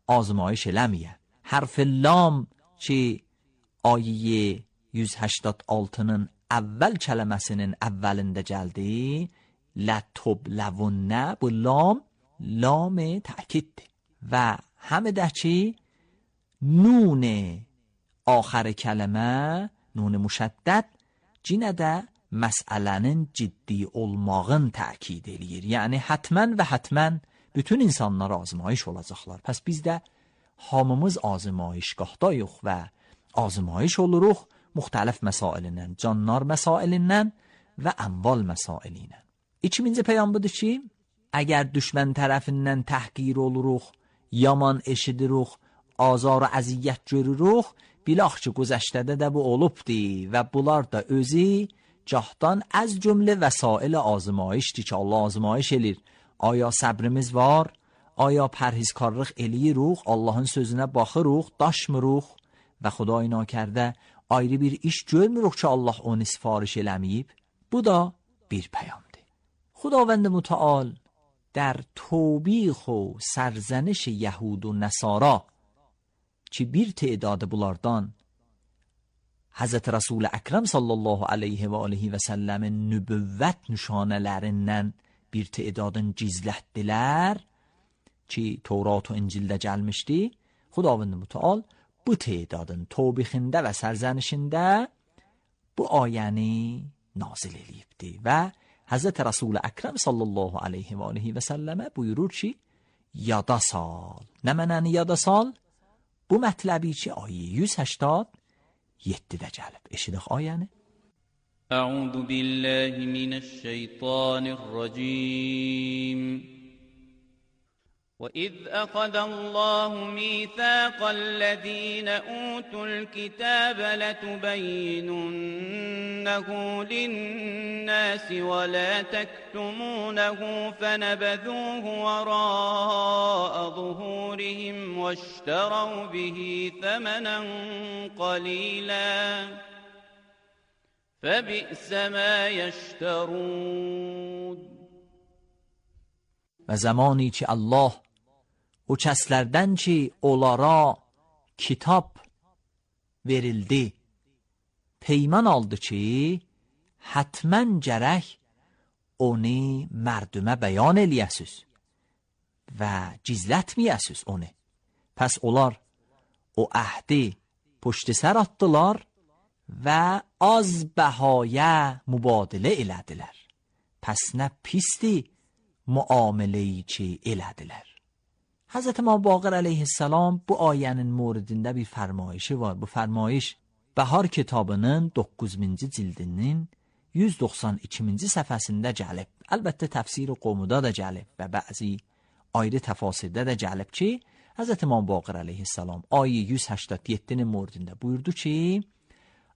azmayış eləməyə. Hərf-i lam ki, ayyə 186-nın əvvəl kələməsinin əvvəlində gəldi, lətubləvunə, bu lam təkiddir. Və həmi də ki, nun axarı kələmə, nun müşəddəd, cinə də məsələnin ciddi olmağın təkid eləyir. Yəni, hətmən və hətmən bütün insanlar azmayış olacaqlar. Pəs biz də hamımız azmayışqahdayıq və azmayış oluruq müxtəlif məsailindən, canlar məsailindən və əmval məsailindən. İkinci peyam budur ki, əgər düşmən tərəfindən təhqir oluruq, yaman eşidiruq, azar və əziyyət görürük, bilaq ki, güzəştədə də bu olubdi və bunlar da özü cahdan az cümlə vəsail azmayışdır ki, Allah azmayış elir. Aya səbrimiz var, aya pərhizkarlıq eləyiruq, Allahın sözünə baxırıq, daşmırıq və Xuday nakərdə ayrı bir iş görmürük ki, Allah onu sifariş eləməyib. Bu da bir peyamdır. خداوند متعال در توبیخ و سرزنش یهود و نصارا که bir تعداد bulardan Hazreti Resul Ekrem sallallahu aleyhi ve aleyhi ve sellemin nübüvvet nişanələrindən bir تعدادın gizlətdilər ki Tevrat və İncildə gəlmişdi. Xudavənd Mütəal bu تعدادın توبیخində və sərzənişində bu ayəni nazil eləyibdi və Hazreti Resul Ekrem sallallahu aleyhi ve aleyhi ve selleme buyurur ki yada sal. Nə mənəni yada sal? Bu mətləbi ki ayı 187-də gəlib. Eşidək ayəni. Əuzu billahi minəşşeytanirracim. وَإِذْ أَخَذَ اللَّهُ مِيثَاقَ الَّذِينَ أُوتُوا الْكِتَابَ لَتُبَيِّنُنَّهُ لِلنَّاسِ وَلَا تَكْتُمُونَهُ فَنَبَذُوهُ وَرَاءَ ظُهُورِهِمْ وَاشْتَرَوْا بِهِ ثَمَنًا قَلِيلًا فَبِئْسَ مَا يَشْتَرُونَ. و زمانی که الله o kəslərdən ki onlara kitab verildi, peyman aldı ki hətmən gərək onu mərdümə bəyan eləyəsiz və gizlətməyəsiz onu. Pəs onlar o əhdi puşti sər atdılar və az bəhayə mübadilə elədilər. Pəs nə pisdi muameleyi ki elədilər. Hazreti İmam Baqir aleyhisselam bu ayənin moridində bir fərmayişi var. Bu fərmayiş Bəhar kitabının 9-cu cildinin 192-ci səhifəsində gəlib. Əlbəttə təfsir-i Qomudda da gəlib və bəzi ayrı təfasirdə də gəlib ki, Hazreti İmam Baqir aleyhisselam ayı 187-nin moridində buyurdu ki,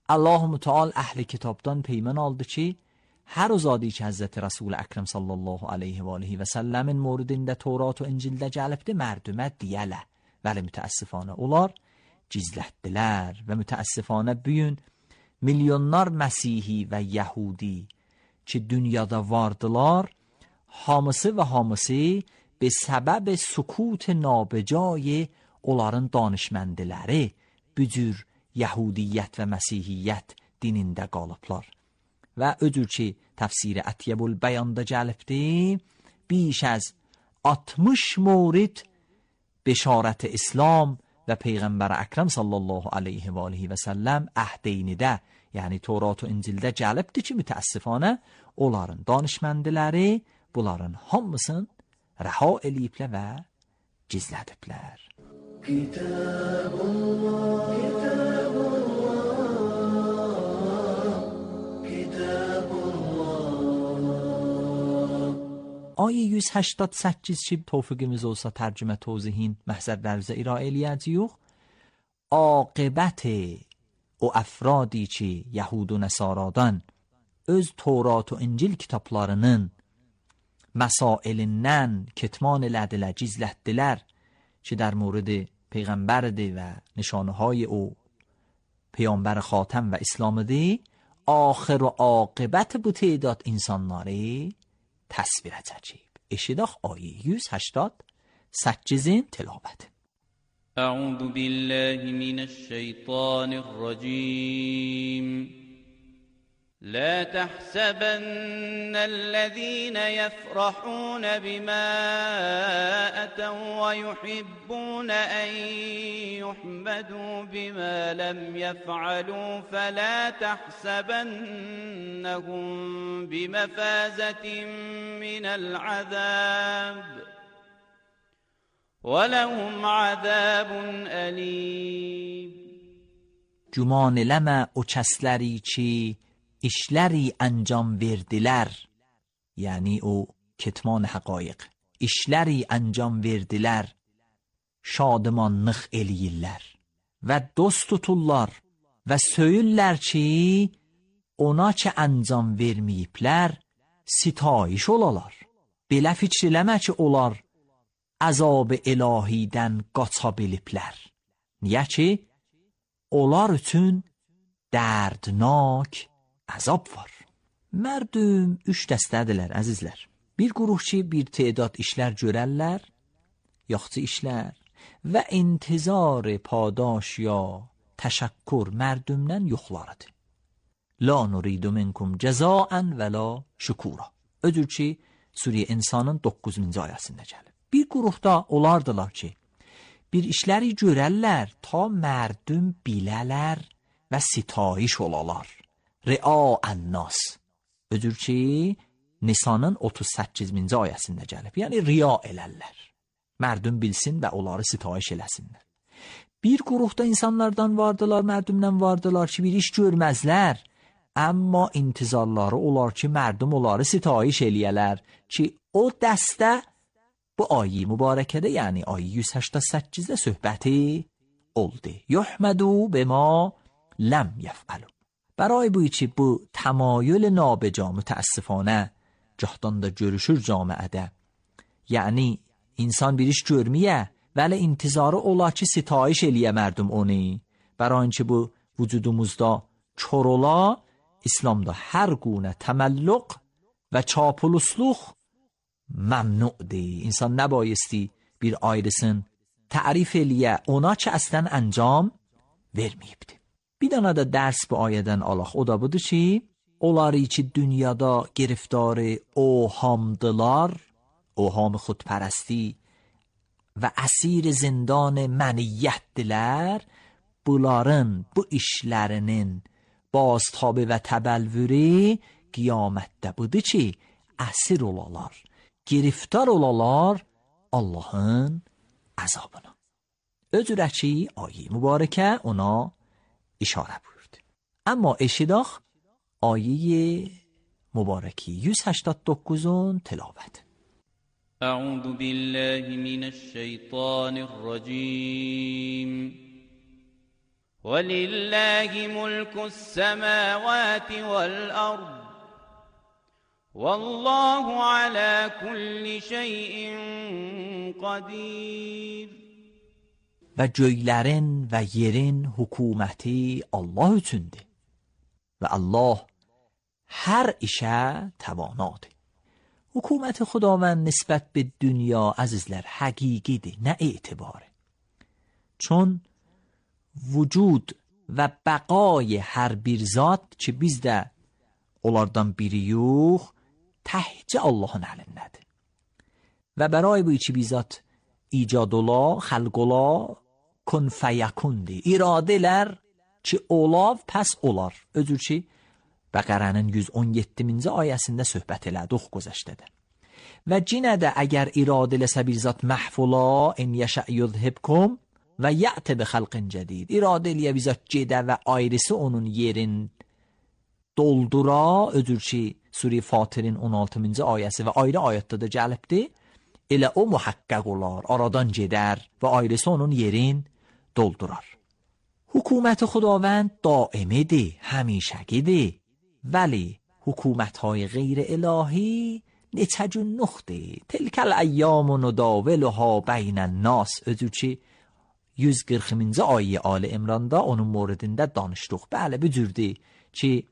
Allah-u Teala əhli kitabdan peyman aldı ki, hər o zadi ki Hazreti Resul Ekrem sallallahu aleyhi və aleyhi və səlləmin moridində Tevrat və İncildə gəlibdi, mərdümə deyələ. Vəli mütəəssifanə onlar gizlətdilər və mütəəssifanə bugün milyonlar Məsihi və Yəhudi ki dünyada vardılar, hamısı və hamısı be səbəb sukut nabəcay onların danışməndiləri bücür Yəhudiyyət və Məsihiyyət dinində qalıblar. Və öcür ki təfsiri Ətyəbül Bəyanda gəlibdi, بیش از 60 مورد بشارت اسلام و پیغمبر اکرم صلی الله علیه و آله و سلم əhdeynidə, yəni Tevrat və İncildə gəlibdi ki, mütəəssifانə onların danışməndiləri bunların hamısını rəha eləyiblər və gizlədiblər. Kitabullah, kitabullah, kitabullah, Ayı 188 ki tevfikimiz olsa tercüme توضیحین محضر درزه ایرائیلیت یوخ عاقبت o əfradi ki Yahud və Nəsaradan öz Tevrat və İncil kitablarının məsailindən ketman elədilər, gizlətdilər ki در مورد پیغمبرdir və nişanəهای o پیامبر خاتم و اسلامdır. آخر و عاقبت bu تعداد insanları təsvir edəcəyik. Eşidək ayə 188-in tilavəti. أعوذ بالله من الشيطان الرجيم لا تحسبن الذين يفرحون بما أتوا ويحبون أن يحمدوا بما لم يفعلوا فلا تحسبنهم بمفازة من العذاب ولهم عذاب أليم. Güman eləmə o kəsləri ki işləri ancam verdilər, yəni o ketman həqaiq, işləri ancam verdilər, şadmanlıq eləyirlər və dost tuturlar və söyürlər ki ona ki ancam verməyiblər sitayiş olalar. Belə fikr eləmə ki onlar əzab ilahidən qaça biliblər. Niyə ki onlar üçün dərdnak əzab var. Mərdüm 3 dəstədilər əzizlər. Bir quruh ki bir تعداد işlər görərlər, yaxşı işlər və intizar padaş ya təşəkkür mərdümdən yoxlarıdır. La nuridu minkum cəzaən və la şükura. Ödür ki Suriye İnsanın 9-cu ayəsində gəlir. Bir quruhda olardılar ki bir işləri görərlər ta mərdüm bilələr və sitayiş olalar. Ria annas. Ödür ki Nisanın 38-ci ayəsində gəlib. Yəni riya elərlər. Mərdüm bilsin və onları sitayiş eləsinlər. Bir quruhda insanlardan vardılar, mərdümdən vardılar ki bir iş görməzlər. Amma intizarları olar ki mərdüm onları sitayiş eləyələr ki o dəstə bu ayi mübarəkədə yəni ayi 188-də söhbəti oldu. Yuhmədu bima ləm yef'alu. برای بوی چی bu تمایل نابجا متاسفانه جهدان da görüşür camiədə. Yəni insan bir iş görməyə vəli intizarı ola ki sitayiş eləyə mərdum onu. برای اینکه bu vücudumuzda kör ola İslamda hər gune təməlluq və çapulusluq məmnu'dir. İnsan nəbayisти bir ayrısın tərif eləyə ona ki əslən əncam verməyibdir. Bir dana da dərs bu ayədən alaq. O da budur ki onları ki dünyada giriftarı ohamdılar, oham xudpərəsti və əsir zindan məniyyətdilər, bunların bu işlərinin baztabı və təbəlvürü qiyamətdə budur ki əsir olalar, giriftar olalar Allahın əzabına. Özürə ki ayə mübarəkə ona işarə buyurdu. Amma eşidək ayə mübarəki 189-un tilavət. أعوذ بالله من الشيطان الرجيم ولله ملك السماوات والأرض والله على كل شيء قدير. Və göylərin və yerin hökuməti Allah üçündür və Allah hər işə təvanadır. Hökuməti Xudavənd nisbət bir dünya əzizlər həqiqidir, nə etibarı. Çون vücud və bəqay hər bir zat ki biz də onlardan biri yox, təhcə Allahın əlindədir. Və bəray bu iki bizat icad ola, xəlq ola, kun fəyakundir. İradələr ki olav, pəs olar. Özür ki Bəqərənin 117-ci ayəsində söhbət elədik gözəşdədə. Və cinə də əgər iradə eləsə bir zat məhfula, in yəşə yudhibkum və yə'ti bi xalqin cədid. İradə eləyə bir zat gedə və ayrısı onun yerin doldura, özür ki Sure Fatirin 16-cı ayəsi və ayrı ayətdə də gəlibdir. Elə o muhaqqaq olar, aradan gedər və ailəsi onun yerin doldurar. حکومت خداوند دائمیه، همیشگیه، ولی حکومت‌های غیر الهی نتجنخته. تلک الایام نداولها بین الناس. Özü ki 140-cı ayə Ali İmranda onun موردində danışdıq. Bəli, bu cürdür ki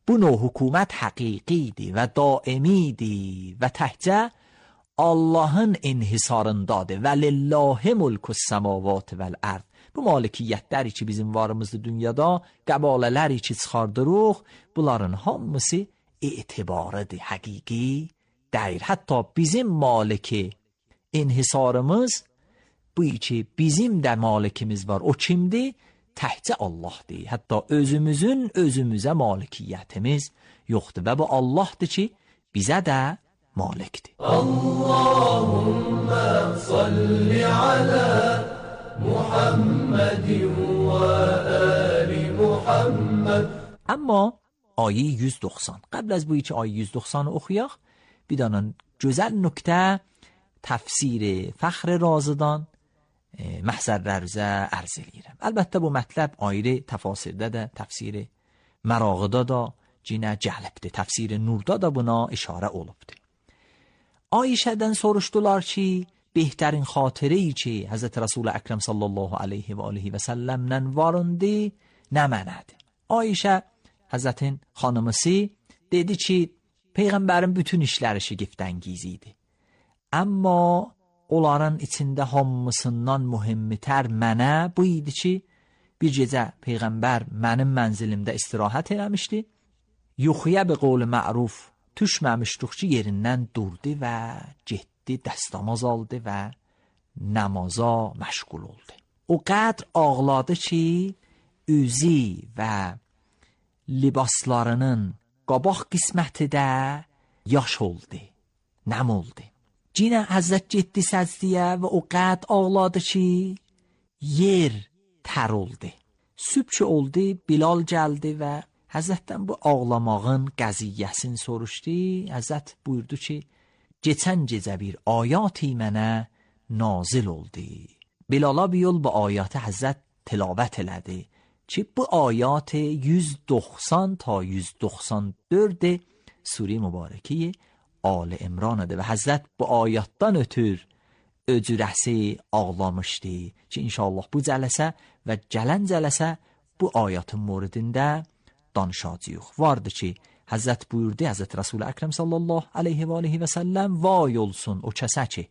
bu növ hökumət həqiqidir və daimidir və təhcə Allahın inhisarındadır. Və lillahi mulkus semavat vəl ard. Bu malikiyyətləri ki bizim varımızdır dünyada, qəbalələri ki çıxardırıq, bunların hamısı etibarıdır, həqiqi deyil. Hətta bizim maliki inhisarımız bu ki bizim də malikimiz var. O kimdir? Təhcə Allahdır. Hətta özümüzün özümüzə malikiyyətimiz yoxdur və bu Allahdır ki bizə də malikdir. Allahümme salli ala Muhammedin və ali Muhammed. Amma ayə 190. Qəbl az bu iki ayə 190-ı oxuyaq. Bir dənə gözəl nöqtə təfsir Fəxr Razıdan məhzərlərinizə ərz edirəm. Əlbəttə bu mətləb ayrı təfasirdə də, təfsir Mərağıda da cinə gəlibdir. Təfsir Nurda da buna işarə olubdur. Ayşədən soruşdular ki, بهترین خاطره‌ای که حضرت رسول اکرم صلی الله علیه و آله و سلم'dən varındı nə mənadır? Ayşə Həzrətin xanımısı dedi ki, Peyğəmbərin bütün işləri şigiftəngiz idi. Amma onların içində hamısından mühimmitər mənə bu idi ki, bir gecə Peyğəmbər mənim mənzilimdə istirahət eləmişdi. Yuxuya bi qol ma'ruf düşməmişdik ki, yerindən durdu və getdi. دستاماز aldı və namaza məşğul oldu. O qədr ağladı ki, üzü və libaslarının qabaq qisməti də yaş oldu, nəm oldu. Cinə Həzrət getdi səcdiyə və o qədr ağladı ki, yer tər oldu. Sübh oldu, Bilal gəldi və Həzrətdən bu ağlamağın qəziyyəsini soruşdu. Həzrət buyurdu ki, geçen gecə bir ayati mənə nazil oldu. Bilala bir yol bu ayatı Həzrət tilavət elədi ki, bu ayat 190 ta 194 sure mübarəki Ali İmran'dır və Həzrət bu ayatdan ötür öcürəsi ağlamışdı ki, inşallah bu cələsə və gələn cələsə bu ayatın moridində danışacağıq. Vardı ki, Həzrət buyurdu, Həzrət Rasul Əkrəm sallallahu aleyhi və aleyhi və səlləm, vay olsun o kəsə ki,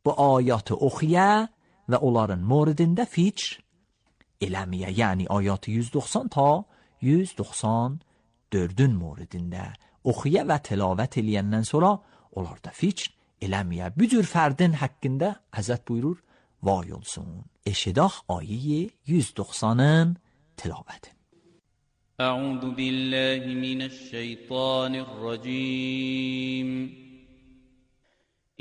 bu ayatı oxuya və onların moridində fikr eləməyə, yəni ayatı 190 ta 194-ün moridində oxuya və tilavət eləyəndən sonra onlarda fikr eləməyə. Bu cür fərdin haqqında Həzrət buyurur, vay olsun. Eşidaq ayəyi 190-ın tilavəti. أعوذ بالله من الشيطان الرجيم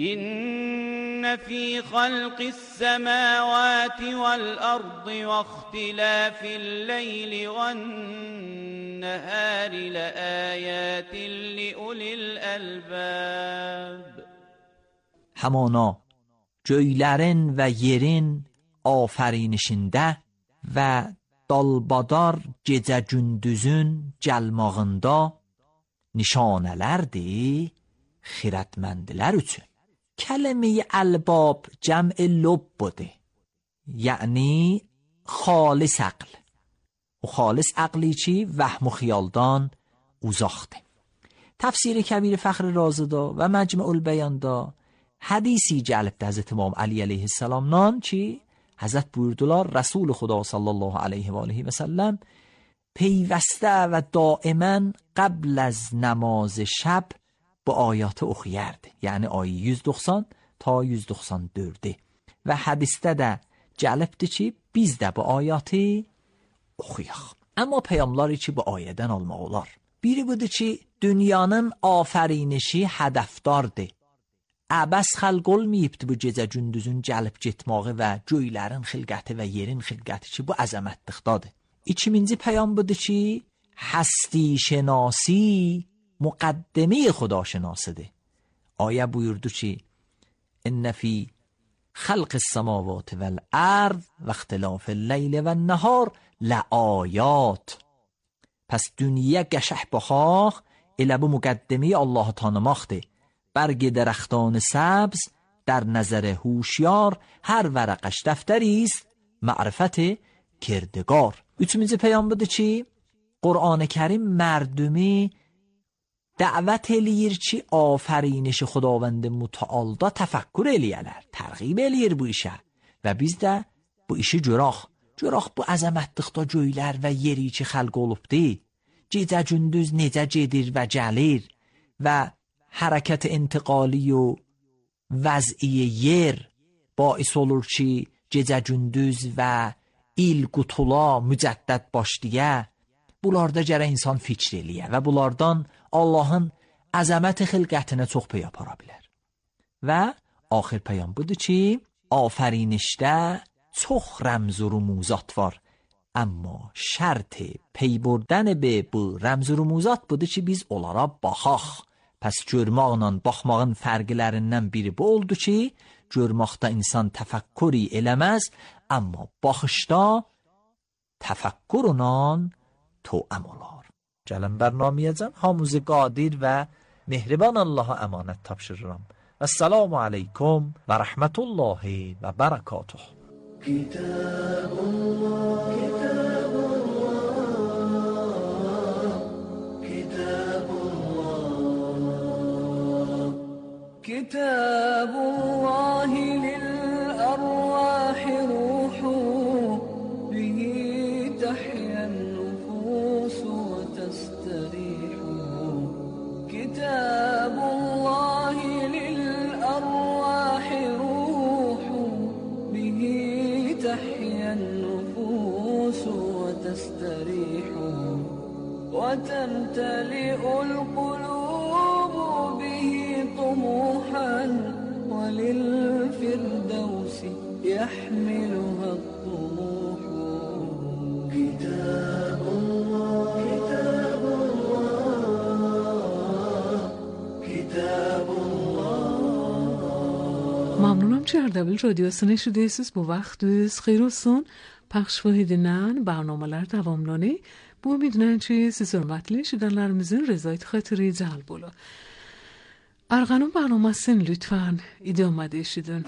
إن في خلق السماوات والأرض واختلاف الليل والنهار لآيات لأولي الألباب. Hamana göylərin və yerin afərinişində və dalbadar gecə gündüzün gəlmağında nişanələrdir xirətməndilər üçün. Kəlmə-i əlbab cəm'i lubbudur. Yəni xalis aql. O xalis aqli ki vəhm و xiyaldan uzaqdır. Təfsiri Kəbir Fəxr Razıda və Məcmu'ul Bəyanda hədisi gəlibdir Həzrət İmam Əli əleyhissalamdan ki, Həzrət buyurdular, Rəsul Xuda sallallahu aleyhi və aleyhi və səlləm peyvəstə və daimən qəbl az namaz şəb bu ayatı oxuyardı. Yəni ayı 190 ta 194'ü. Və hədisdə də gəlibdir ki, biz də bu ayatı oxuyaq. Amma peyğəmbərlər ki, bu ayədən almaq olar. Biri budur ki, dünyanın afərinişi hədəfdardır. Əbəs xəlq olmayıbdır bu gecə gündüzün gəlib getməyi və göylərin xilqəti və yerin xilqəti ki, bu əzəmətlikdadır. İkinci peyam budur ki, həsti şənasi مقدمه خداشناسده. آیه buyurdu ki ان فی خلق السماوات والارض و اختلاف اللیل و النهار لآیات. Pəs dünya qəşəh baxaq, elə bu müqəddimi Allahı tanımaqdır. برگ درختان سبز در نظر هوشیار، هر ورقش دفتری است معرفت کردگار. Üçüncü پیام budur ki, Qur'an-ı Kərim mərdumi dəvət eləyir ki, afərinişi Xudavənd mütəalda təfəkkür eləyələr, tərğib eləyir bu işə və biz də bu işi görək. Görək bu əzəmətlikdə göylər və yeri ki xəlq olubdur, gecə gündüz necə gedir və gəlir və hərəkət intiqali و vəz'i yer باعث olur ki gecə gündüz və il qutula mücəddəd başlıya. Bunlarda gərək insan fikr eləyə və bunlardan Allahın əzəməti xilqətinə çox pey apara bilər. Və axir peyam budur ki, afərinişdə çox rəmz و رموزات var. Amma şərt pey burdan be bu rəmz و رموزات budur ki, biz onlara baxaq. Pəs görməklə baxmağın fərqlərindən biri bu oldu ki, görməkdə insan təfəkkürü eləməz, amma baxışda təfəkkürlə توأم olar. Gəlin bərnamiyəcəm hamımızı qadir və mehriban Allaha əmanət tapşırıram. Esselamu aleykum və rəhmətullahi və bərəkatuh. Kitabullah, Kitabullah, Kitabullah, Kitabullahi lil-arwahi ruhu, bihi tahyan كتاب الله للأرواح روح به تحيا النفوس وتستريح وتمتلئ القلوب به طموحا وللفردوس يحملها الطموح. كتاب الله Mamnunum ki Ardabil Radyosunu eşidiyorsunuz. Bu vaxtınız xeyir olsun. Pəxş edilen barnamalar davamlanı. Bu ümidlə ki siz hörmətli eşidənlərimizin rəzayət xatırı cəlb olur. Arğanun barnamasını lütfen idamada eşidin.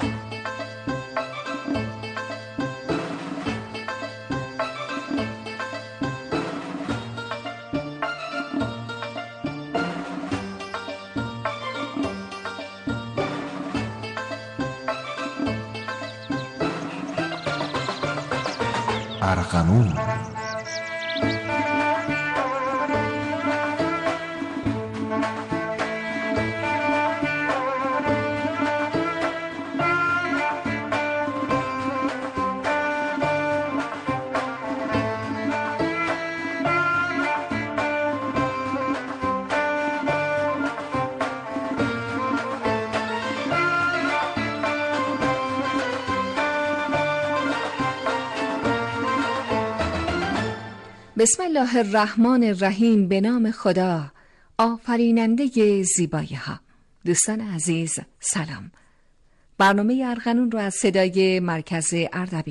ارغنون بسم الله الرحمن الرحیم. به نام خدا آفریننده زیبایی ها. دوستان عزیز سلام. برنامه ارغنون رو از صدای مرکز اردبیل